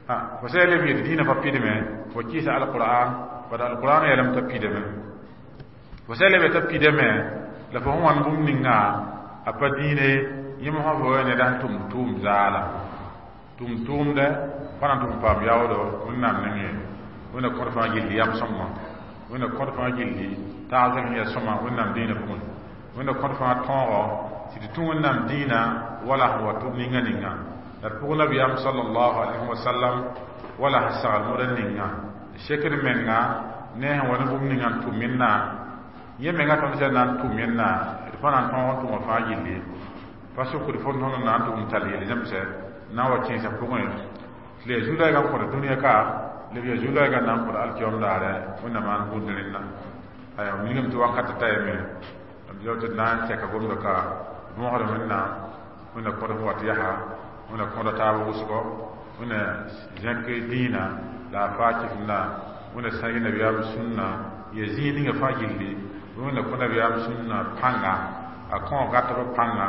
Fo sã leb yetɩ dĩinã pa pidme, fo kɩɩsa alqur'an, bad alqur'an yeelame t'a pidame. Fo sã leb t'a pidame, la fo sẽn wãn bũmb ninga a pa dĩine yẽ mosã fo ya ned sẽn tʋm tʋʋm zaala tʋm tʋʋmdɛ pa na n tʋg n paam yaoodo Wẽnnaam nengẽ. Wẽnna kõt fãa gilli yam sõngã, Wẽnna kõt fãa gilli tagsg sẽn yaa sõma Wẽnnaam dĩinã pʋgẽ, Wẽnna kõt fãa tõogo tɩ tɩ tũ Wẽnnaam dĩinã wala sẽn wa tʋb ninga ninga la d pʋg nabiyaam sallallahu alayhi wa sallam wala sẽn sagl moda ninga sekd menga ne sẽn wa ne bũmb ninga n tʋm yẽnna yẽ menga tõnd sẽn na n tʋm yẽnna d pa na n tõog n tʋma fãa gilli pa sokd fo tõnd na n tʋg n tall yel zẽmsɛ na n wa kẽesã pʋgẽ tɩ la yaa zu-laɛɛgã n kõt dũniyã ka leb yaa zu-laɛɛgã na n kõt alkiyom daare Wẽnnaam maan buud ne rẽnna. Aya mingame tɩ wakat ta yame b tɩ d na n tɛka gomda ka võogd Wẽnnaam Wẽnna kõt sẽn wat yaa Wẽnna kõda taab wʋsgɔ, Wẽnna zẽk dĩinã la a faa kɩsem-da Wẽnna sãg nabiyaam sũnna ya zĩig ninga fãa gilli. Wẽnna kõ nabiyaam sũnna pãnga, a kõ gatb pãnga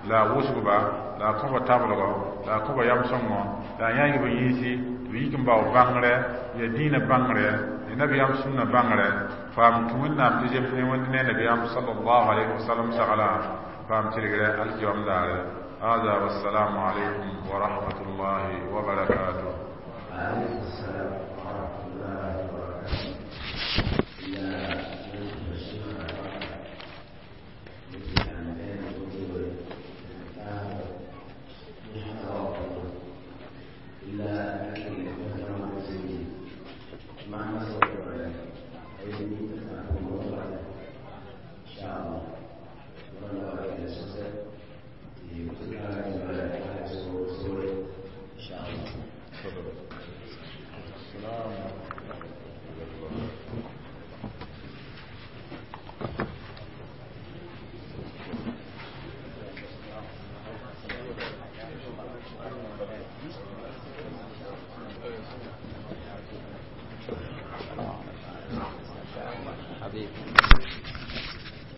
la a wʋsgba la a kõba tablgɔ la a kõba yam sõngɔ la a yãag b yĩnsi tɩ b yik n bao bãngrɛ ya dĩinã bãngrɛ ya nabiyaam sũnna bãngrɛ faam tũ Wẽnnaam tɩ zems ne Wẽnd ne nabiyaam sallallahu alayhi wa sallam sagla faam tɩrgrɛ alkiyom daare. هذا والسلام عليكم ورحمة الله وبركاته. عليكم السلام ورحمة الله وبركاته. يا الشيخ حبيبي.